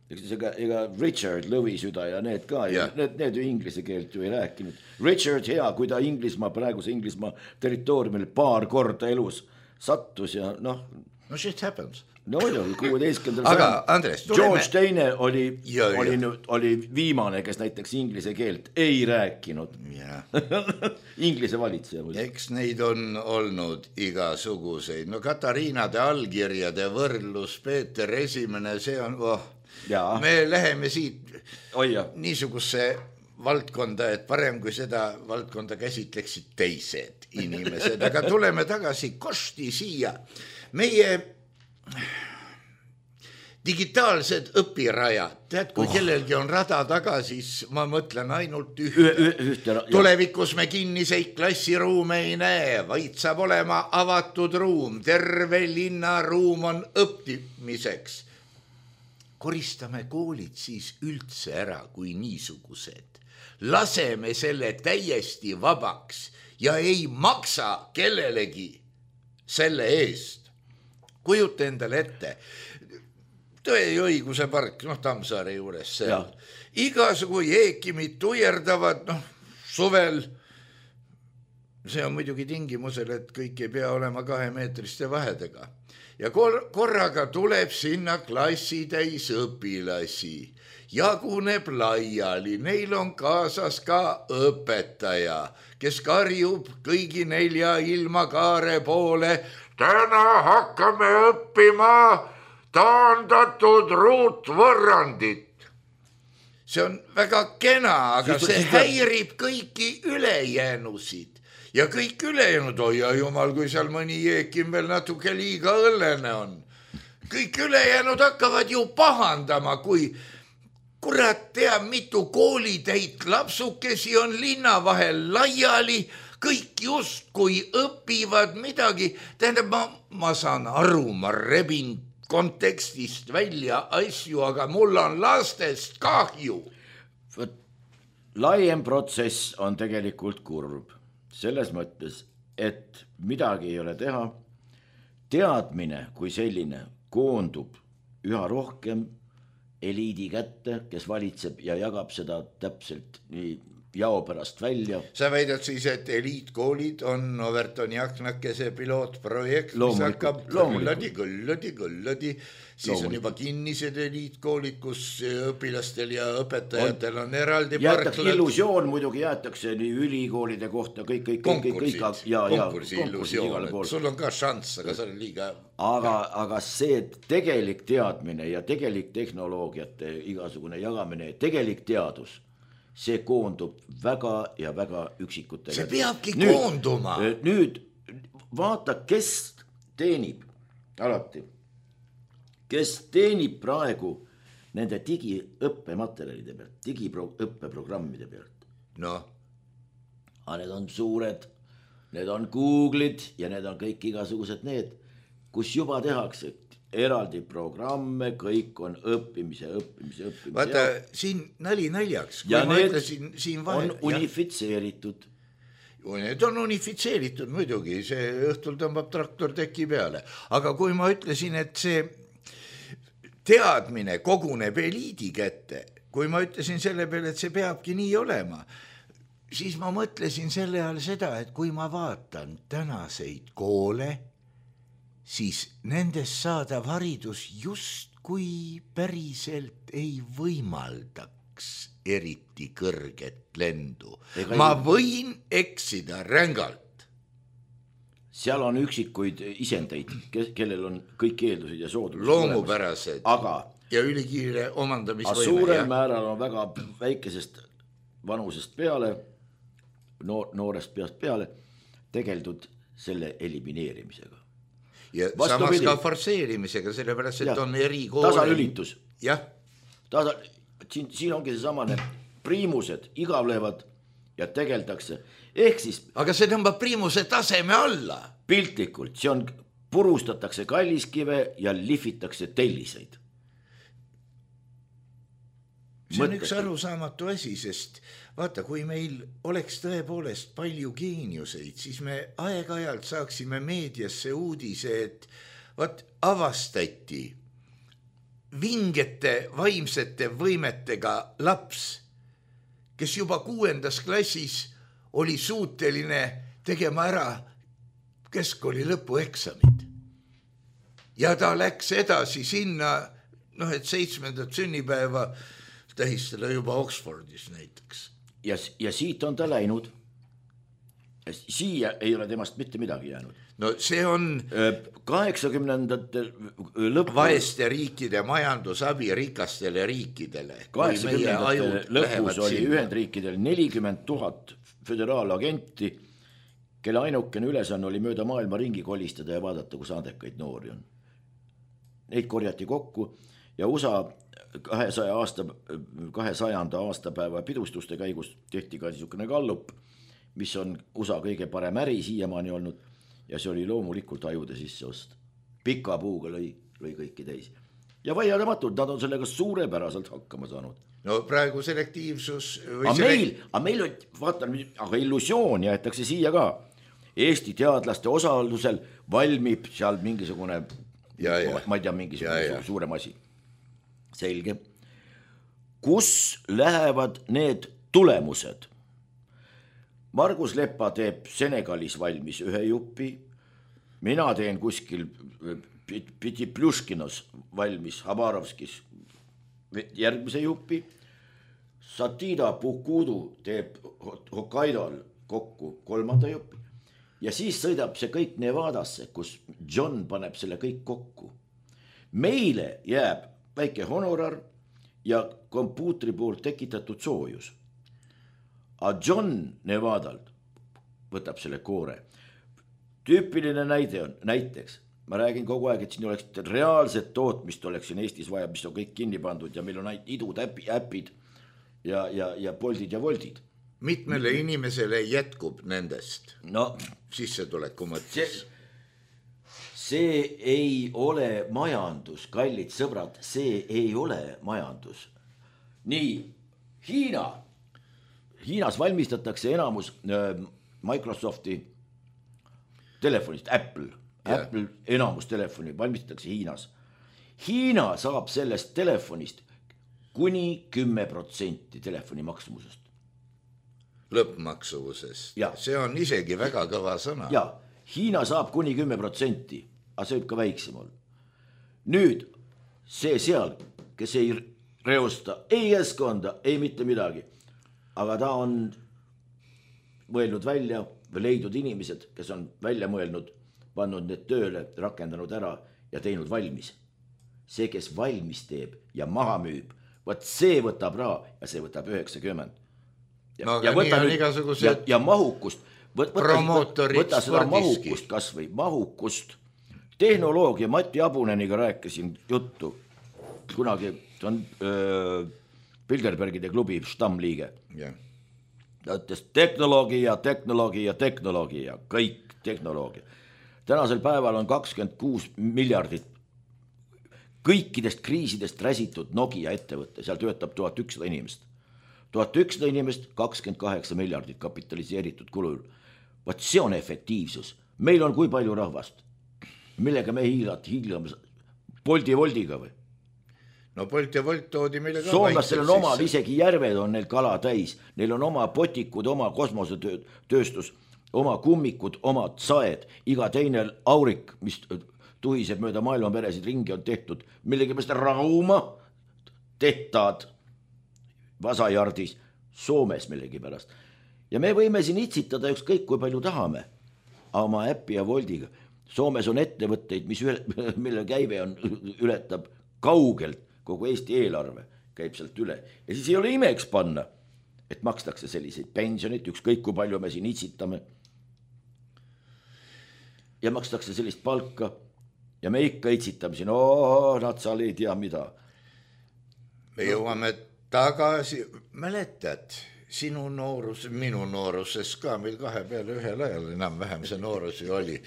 Ega, ega Richard Lõvisüda ja need ka, ja. Need, need ju inglise keelt ju ei rääkinud. Richard hea, kui ta Inglismaa, praeguse Inglismaa territooriumil paar korda elus sattus ja noh. No shit happens. No oli kuueteistkümnendal aga Andres, tuleme... George teine oli, oli, oli viimane, kes näiteks inglise keelt ei rääkinud. Inglise valitseja. Eks neid on olnud igasuguseid. No Katariinade allkirjade võrdlus, Peeter Esimene, see on, oh, ja. Me läheme siit Oi, niisuguse valdkonda, et parem kui seda valdkonda käsitleksid teised inimesed. Aga tuleme tagasi kosti siia. Meie digitaalsed õpirajad, tead, kui oh. kellelgi on rada taga, siis ma mõtlen ainult ühte. Üh, ühte Tulevikus me kinniseid klassiruume ei näe, vaid saab olema avatud ruum, terve linnaruum on õppimiseks. Koristame koolid siis üldse ära kui niisugused. Laseme selle täiesti vabaks ja ei maksa kellelegi selle eest. Kujuta endale ette, Tõe ja õiguse park, noh Tammsaare juures seal. Igasugu jeekimid tuierdavad, noh suvel, see on muidugi tingimusel, et kõik ei pea olema kahemeetriste vahedega. Ja kor- korraga tuleb sinna klassitäis õpilasi, jaguneb laiali, neil on kaasas ka õpetaja, kes karjub kõigi nelja ilmakaare poole. Täna hakkame õppima taandatud ruutvõrrandit. See on väga kena, aga see häirib kõiki ülejäänusid. Ja kõik ülejäänud, oi ja jumal, kui seal mõni jeekim veel natuke liiga õllene on. Kõik ülejäänud hakkavad ju pahandama, kui kurat teab, mitu koolitäit lapsukesi on linna vahel laiali, kõik just kui õpivad midagi. Tähendab, ma, ma saan aru, ma rebin kontekstist välja asju, aga mul on lastest kahju. Laiem protsess on tegelikult kurb. Selles mõttes, et midagi ei ole teha. Teadmine kui selline koondub üha rohkem eliidi kätte, kes valitseb ja jagab seda täpselt nii jao pärast välja. Sa väidad siis, et eliitkoolid on Overtoni aknakese pilootprojekt, mis hakkab kõlladi, kõlladi, kõlladi. Siis on juba kinnised eliitkoolid, kus õpilastel ja õpetajatel on eraldi jäetakse parklad. Illusioon muidugi jäetakse nii ülikoolide kohta, kõik, kõik, konkursid, kõik, kõik, ja, konkursi ja, illusioon, sul on ka šanss, aga see on liiga. Aga, aga see tegelik teadmine ja tegelik tehnoloogiate igasugune jagamine, tegelik teadus, see koondub väga ja väga üksikutega. See peabki nüüd, koonduma. Nüüd vaata, kes teenib alati, kes teenib praegu nende digiõppematerjalide pealt, digiõppeprogrammide pealt. No. Aga need on suured, need on Google'id ja need on kõik igasugused need, kus juba tehakse eraldi programme, kõik on õppimise, õppimise, õppimise. Vaata, siin nali naljaks. Ja need ütlesin, siin vahel, on unifitseeritud. Need on unifitseeritud muidugi, see õhtul tõmbab traktor teki peale. Aga kui ma ütlesin, et see teadmine koguneb eliidi kätte, kui ma ütlesin selle peale, et see peabki nii olema, siis ma mõtlesin selle all seda, et kui ma vaatan tänaseid koole, siis nendest saadav haridus just kui päriselt ei võimaldaks eriti kõrget lendu. Ega ma võin eksida rängalt. Seal on üksikuid isendeid, kellel on kõik eeldused ja soodused. Loomupärased aga, ja ülikiire omandamisvõime. Suurel ja. Määral on väga väikesest vanusest peale, noor, noorest peast peale tegeldud selle elimineerimisega. Ja samas ka forseerimisega, sellepärast, et ja, on eri koole. Tasalülitus. Jah. Tasa, siin, siin ongi see samane priimused igavlevad ja tegeldakse. Ehk siis... Aga see tõmbab priimuse taseme alla. Piltlikult, see on, purustatakse kalliskive ja lihvitakse telliseid. see on üks arusaamatu asi, sest vaata, kui meil oleks tõepoolest palju geeniuseid, siis me aeg-ajalt saaksime meediasse uudise, et vaat avastati vingete vaimsete võimetega laps, kes juba kuuendas klassis oli suuteline tegema ära keskkooli lõpueksamid. Ja ta läks edasi sinna, noh, et seitsmendat sünnipäeva tähistada juba Oxfordis näiteks. Ja, ja siit on ta läinud. Siia ei ole temast mitte midagi jäänud. No see on kaheksakümnendate lõpus vaeste riikide majandusabi rikastele riikidele. kaheksakümnendate lõpus oli Ühendriikidel nelikümmend tuhat föderaalagenti, kelle ainukene ülesanne oli mööda maailma ringi kolistada ja vaadata, kus andekaid noori on. Neid korjati kokku ja U S A kahesaja aasta, kahesajanda aastapäeva pidustuste käigus tehti ka niisugune gallup, mis on U S A kõige parem äri siiamaani olnud ja see oli loomulikult ajude sisse ost. Pika puuga lõi, lõi kõiki teisi. Ja vaieldamatult, nad on sellega suurepäraselt hakkama saanud. No praegu selektiivsus... Aga meil, aga meil on, vaatan, aga illusioon jäetakse siia ka. Eesti teadlaste osalusel valmib seal mingisugune, ja, ja. ma ei tea, mingisugune ja, ja. suurem asi. Selge. Kus lähevad need tulemused? Margus Leppa teeb Senegalis valmis ühe jupi, mina teen kuskil Piti Pljuškinos valmis Habarovskis järgmise jupi, Satida Pukudu teeb Hokkaidol kokku kolmanda jupi ja siis sõidab see kõik Nevadasse, kus John paneb selle kõik kokku. Meile jääb väike honorar ja kompuutri poolt tekitatud soojus. A John Nevadalt võtab selle koore. Tüüpiline näide on, näiteks, ma räägin kogu aeg, et siin oleks reaalset tootmist oleks siin Eestis vaja, mis on kõik kinni pandud ja meil on ainult idud äpid ja, ja, ja poldid ja voldid. Mitmele inimesele jätkub nendest no, sissetuleku mõttes? See, see ei ole majandus, kallid sõbrad, see ei ole majandus. Nii, Hiina. Hiinas valmistatakse enamus Microsofti telefonist, Apple, yeah. Apple enamus telefoni valmistatakse Hiinas. Hiina saab sellest telefonist kuni kümme protsenti telefoni maksumusest. Lõppmaksuvusest. Ja. See on isegi väga kõva sõna. Ja, Hiina saab kuni kümme protsenti, aga see võib ka väiksem olla. Nüüd, see seal, kes ei reosta, ei keskkonda, ei mitte midagi. Aga ta on mõelnud välja või leidnud inimesed, kes on välja mõelnud, pannud need tööle, rakendanud ära ja teinud valmis. See, kes valmis teeb ja maha müüb, võt see võtab raha ja see võtab üheksakümmend. Ja, no, ja, võta nüüd, igasugused... ja, ja mahukust, võta, võta, võta seda mahukust kas või mahukust. Tehnoloogia Mati Abuneniga rääkisin juttu kunagi, see on... Öö, Bilderbergide klubi stammliige. Yeah. Ta ütles tehnoloogia, tehnoloogia, tehnoloogia, kõik tehnoloogia. Tänasel päeval on kakskümmend kuus miljardit kõikidest kriisidest räsitud Nokia ettevõtte, seal töötab tuhat ükssada inimest. tuhat ükssada inimest, kakskümmend kaheksa miljardit kapitaliseeritud kulul. Vaat see on efektiivsus. Meil on kui palju rahvast, millega me hiilad, hiilame Bolti Voldiga või? No Bolt ja Volt toodi meile ka Soomlastel on oma, isegi järved on neil kala täis. Neil on oma potikud, oma kosmosetööstus, oma kummikud, omad saed. Iga teine aurik, mis tuhiseb mööda maailma peresid ringi on tehtud, millegi meist Rauma tehtad Vasajardis Soomes millegi pärast. Ja me võime siin itsitada ükskõik kui palju tahame oma äppi ja Voldiga. Soomes on ettevõtteid, mis üle, mille käive on, ületab kaugelt kogu Eesti eelarve käib sealt üle. Ja siis ei ole imeks panna, et makstakse selliseid pensionit, ükskõik kui palju me siin itsitame. Ja makstakse sellist palka ja me ikka itsitame siin, oo, nad seal ei tea mida. Me jõuame tagasi, mäletad, sinu noorus, minu nooruses ka, meil kahe peale ühel ajal enam vähem see noorus ju oli.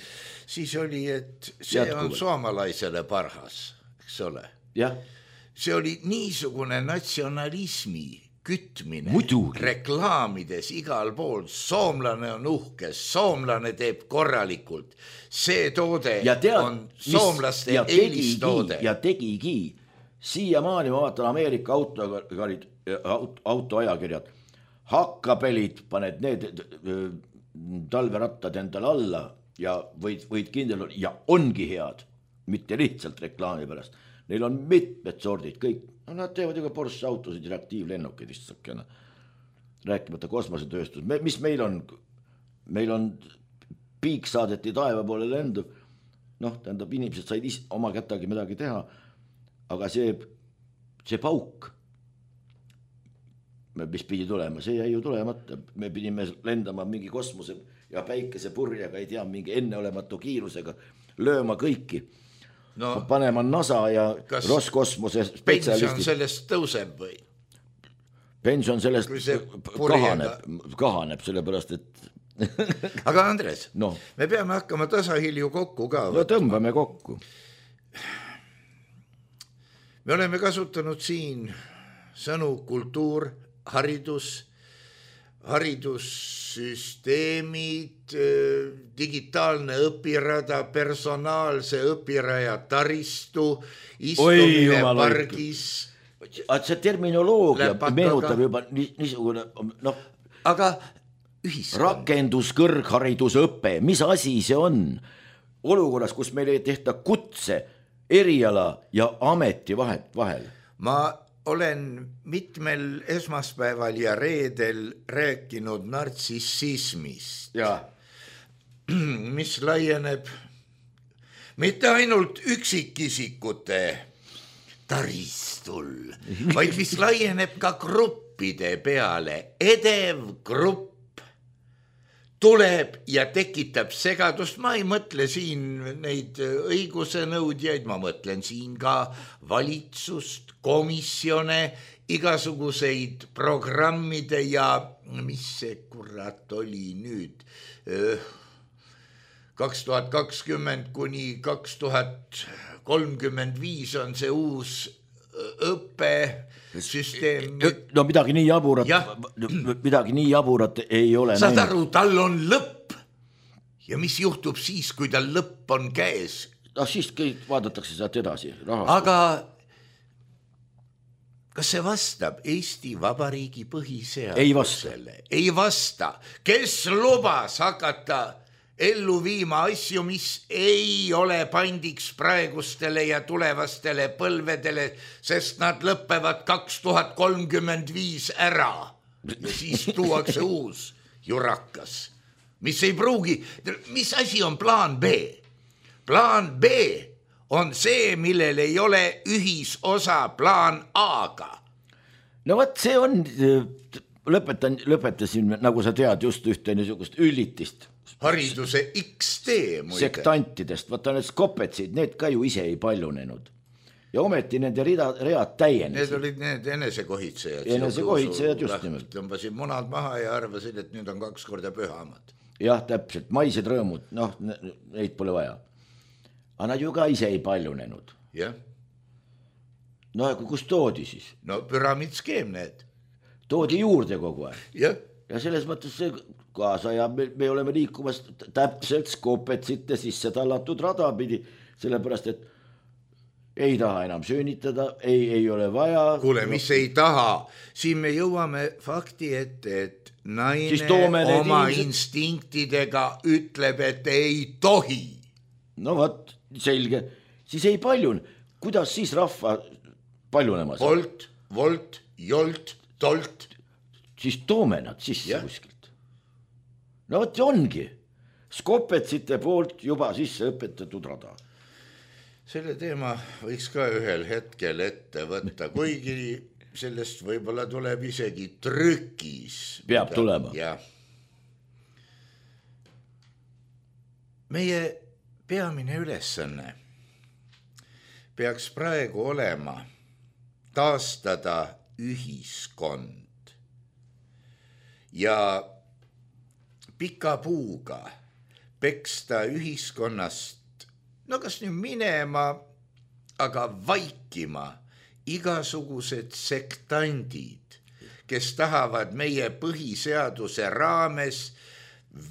Siis oli, et see Jätkuvalt. On soomalaisele parhas, eks ole. Jah. see oli niisugune natsionalismi kütmine Muidugi. reklaamides igal pool. Soomlane on uhke, soomlane teeb korralikult. See toode tead, on soomlaste eelistoode. Ja tegigi. Siiamaani ma vaatan Ameerika autokarid, autoajakirjad. Hakkapelid, paned need talverattad endale alla ja võid, võid kindel olla. Ja ongi head, mitte lihtsalt reklaami pärast. Neil on mitmed sordid, kõik. No, nad teevad ju ka Porsche autosid ja aktiivlennukid istakene. Rääkimata kosmosetööstus. Me, mis meil on? Meil on piik saadeti taeva poole lendu. Noh, tähendab, inimesed said is, oma kätagi midagi teha. Aga see, see pauk, mis pidi tulema, see jäi ju tulemata. Me pidime lendama mingi kosmose ja päikese purjaga, ei tea, mingi enneolematu kiirusega lööma kõiki. No, panema NASA ja Roskosmose spetsialistid. Pension sellest tõuseb või? Pension sellest kahaneb, kahaneb, sellepärast, et aga Andres, no. Me peame hakkama tasahilju kokku ka. No tõmbame kokku. Me oleme kasutanud siin sõnu kultuur, haridus, haridussüsteemid, digitaalne õpirada, personaalse õpiraja taristu, istumine Oi, pargis. Et see terminoloogia meenutab juba niisugune, noh, aga ühiskond. Rakendus, kõrgharidusõpe, mis asi see on? Olukorras, kus meil ei tehta kutse, eriala ja ameti vahet vahel. Ma olen mitmel esmaspäeval ja reedel rääkinud nartsissismist, ja. mis laieneb mitte ainult üksikisikute taristul, vaid mis laieneb ka gruppide peale. Edev grupp tuleb ja tekitab segadust. Ma ei mõtle siin neid õiguse nõudjaid, ma mõtlen siin ka valitsust, komisjone, igasuguseid programmide ja mis see kurat oli nüüd kaks tuhat kakskümmend kuni kaks tuhat kolmkümmend viis on see uus õppesüsteem. No midagi nii jaburat, midagi nii jaburat ei ole. Saad aru, tal on lõpp ja mis juhtub siis, kui tal lõpp on käes? No siis kõik vaadatakse sealt edasi. Rahastus. Aga kas see vastab Eesti Vabariigi põhiseadusele? Ei vasta. Ei vasta. Kes lubas hakata ellu viima asju, mis ei ole pandiks praegustele ja tulevastele põlvedele, sest nad lõppevad kaks tuhat kolmkümmend viis ära. Ja siis tuuakse uus jurakas, mis ei pruugi. Mis asi on plaan B? Plaan B on see, millel ei ole ühisosa plaan A-ga. No võt, see on, lõpetan, lõpetasin, nagu sa tead, just ühte niisugust üllitist. Hariduse X T muide. Sektantidest, võtta need skopetsid, need ka ju ise ei paljunenud. Ja ometi nende rida, read täienesid. Need olid need enesekohitsejad. Enesekohitsejad just nimelt. Tõmbasid munad maha ja arvasid, et nüüd on kaks korda pühamad. Jah, täpselt, maised rõõmud, noh, neid pole vaja. Aga nad ju ka ise ei paljunenud. Jah. No aga kus toodi siis? No püramiidskeem need. Toodi juurde kogu aeg. Jah. Ja selles mõttes see kaasa ja me, me oleme liikumas täpselt skopetsite sisse tallatud rada pidi, sellepärast, et ei taha enam süünitada, ei, ei ole vaja. Kuule, mis ei taha? Siin me jõuame fakti ette, et naine oma inimesed... instinktidega ütleb, et ei tohi. No võt, selge. Siis ei paljun. Kuidas siis rahva paljunema saab? Volt, volt, jolt, tolt. Siis toome nad sisse ja. Kuskilt. No võt ongi. Skopetsite poolt juba sisse õpetatud rada. Selle teema võiks ka ühel hetkel ette võtta, kuigi sellest võib-olla tuleb isegi trükis. Peab tulema. Ja. Meie peamine ülesanne peaks praegu olema taastada ühiskond ja pika puuga peksta ühiskonnast, no kas nüüd minema, aga vaikima igasugused sektandid, kes tahavad meie põhiseaduse raames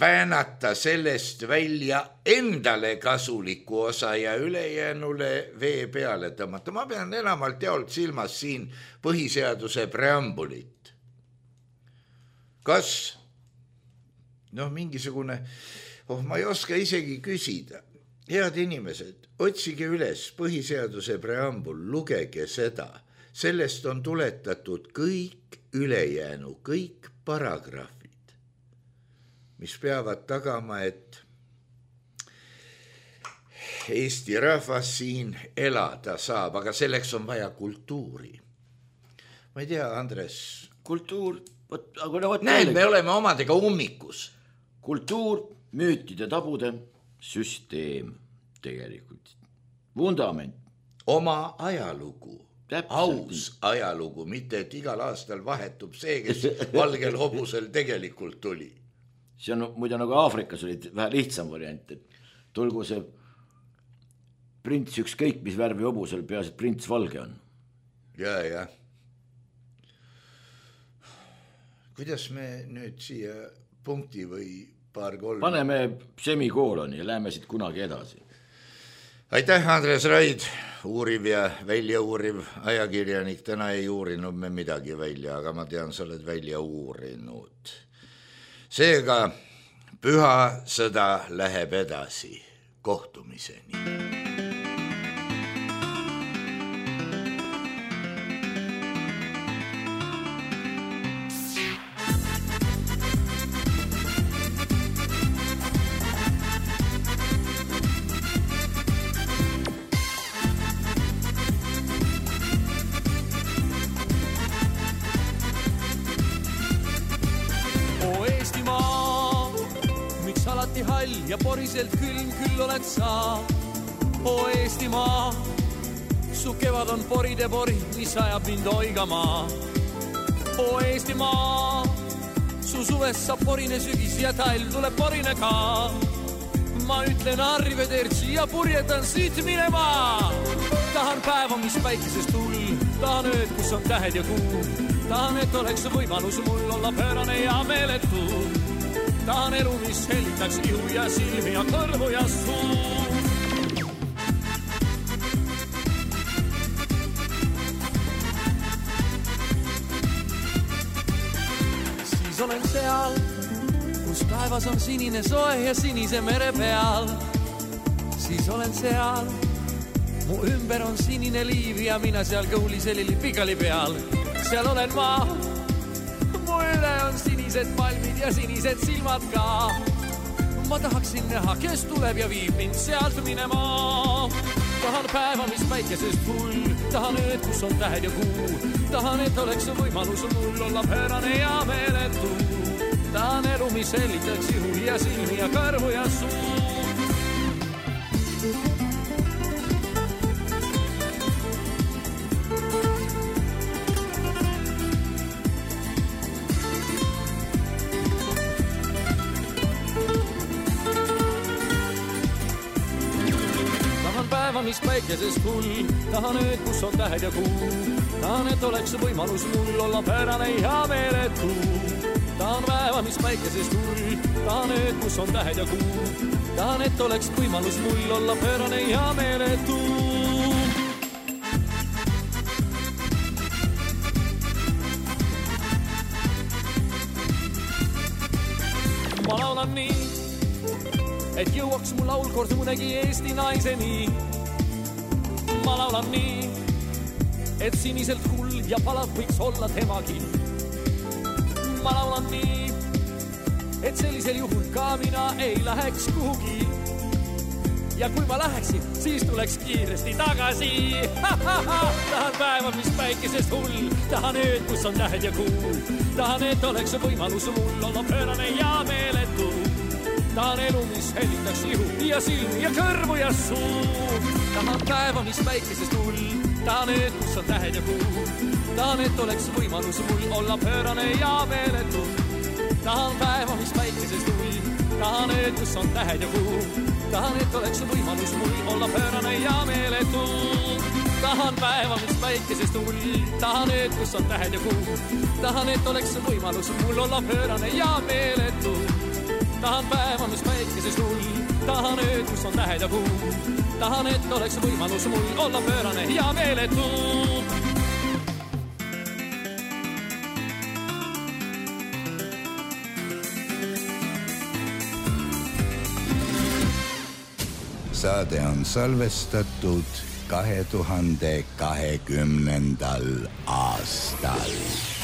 väänata sellest välja endale kasuliku osa ja ülejäänule vee peale tõmmata. Ma pean enamalt jaolt silmas siin põhiseaduse preambulit. Kas, noh, mingisugune, oh, ma ei oska isegi küsida. Head inimesed, otsige üles põhiseaduse preambul, lugege seda. Sellest on tuletatud kõik ülejäänu, kõik paragrahvid, mis peavad tagama, et Eesti rahvas siin elada saab, aga selleks on vaja kultuuri. Ma ei tea, Andres. Kultuur, võt, aga no võt näed, me oleme omadega ummikus. Kultuur, müütide tabude süsteem tegelikult. Vundament. Oma ajalugu. Täpselt. Aus ajalugu, mitte et igal aastal vahetub see, kes valgel hobusel tegelikult tuli. See on muide nagu Aafrikas oli vähe lihtsam variant, et tulgu see prints ükskõik, mis värvi hobusel peas, et prints valge on. Ja, ja. Kuidas me nüüd siia punkti või paar kolm? Paneme semikooloni ja läheme siit kunagi edasi. Aitäh, Andres Raid, uuriv ja välja uuriv ajakirjanik. Täna ei uurinud me midagi välja, aga ma tean, sa oled välja uurinud. Seega püha sõda läheb edasi kohtumiseni. Ja poriselt külm küll oled sa, o Eestimaa. Su kevad on poride pori, mis ajab mind oigama. O Eestimaa, su suvest saab porine sügis ja talv tuleb porine ka. Ma ütlen arrivederci ja purjetan siit minema. Tahan päeva, mis päikesest tull, tahan ööd, kus on tähed ja kuu. Tahan, et oleks võimalus mul olla pöörane ja meeletu. Tahan elu, mis helitaks ihu ja silmi ja kõrvu ja suu. Siis olen seal, kus taevas on sinine soe ja sinise mere peal. Siis olen seal, mu ümber on sinine liiv ja mina seal kõuliselili pikali peal. Seal olen ma, mu üle on sinised palmid ja sinised silmad ka. Ma tahaksin näha, kes tuleb ja viib mind sealt minema. Tahan päeva, mis päikesest hull, tahan ööd, kus on tähed ja kuu. Tahan, et oleks võimalus mul olla pöörane ja meeletu. Tahan elu, mis hellitaks ihu ja silmi ja kõrvu ja suu. Mis päikesest hull, tahan ööd, kus on tähed ja kuu. Tahan, et oleks võimalus mul olla pöörane ja meeletu. Tahan päeva, mis päikesest hull, tahan ööd, kus on tähed ja kuu. Tahan, et oleks võimalus mul olla pöörane ja meeletu. Ma laulan nii, et jõuaks mu laul kord mõnegi Eesti naiseni. Ma laulan nii, et siniselt hull ja palav võiks olla temagi. Ma laulan nii, et sellisel juhul ka mina ei läheks kuhugi. Ja kui ma läheksin, siis tuleks kiiresti tagasi. Tahan päeva, mis päikesest hull, tahan ööd, kus on tähed ja kuu. Tahan, et oleks võimalus mul olla pöörane ja meeletu. Tahan elu, mis hellitaks ihu ja silmi ja kõrvu ja suu. Tahan päeva, mis päikesest hull, tahan ööd, kus on tähed ja kuu. Tahan, et oleks võimalus mul olla pöörane ja meeletu. Tahan päeva, mis päikesest hull, tahan ööd, kus on tähed ja kuu. Tahan, et oleks võimalus mul olla pöörane ja meeletu. tahan päeva, mis päikesest hull, tahan ööd, kus on tähed ja kuu. Tahan, et oleks võimalus mul olla pöörane ja meeletu. Tahan päeva, mis päikesest hull, tahan ööd, kus on tähed ja kuu. Tahan, et oleks võimalus mul olla pöörane ja meeletu. Saade on salvestatud kahe tuhande kahekümnendal aastal.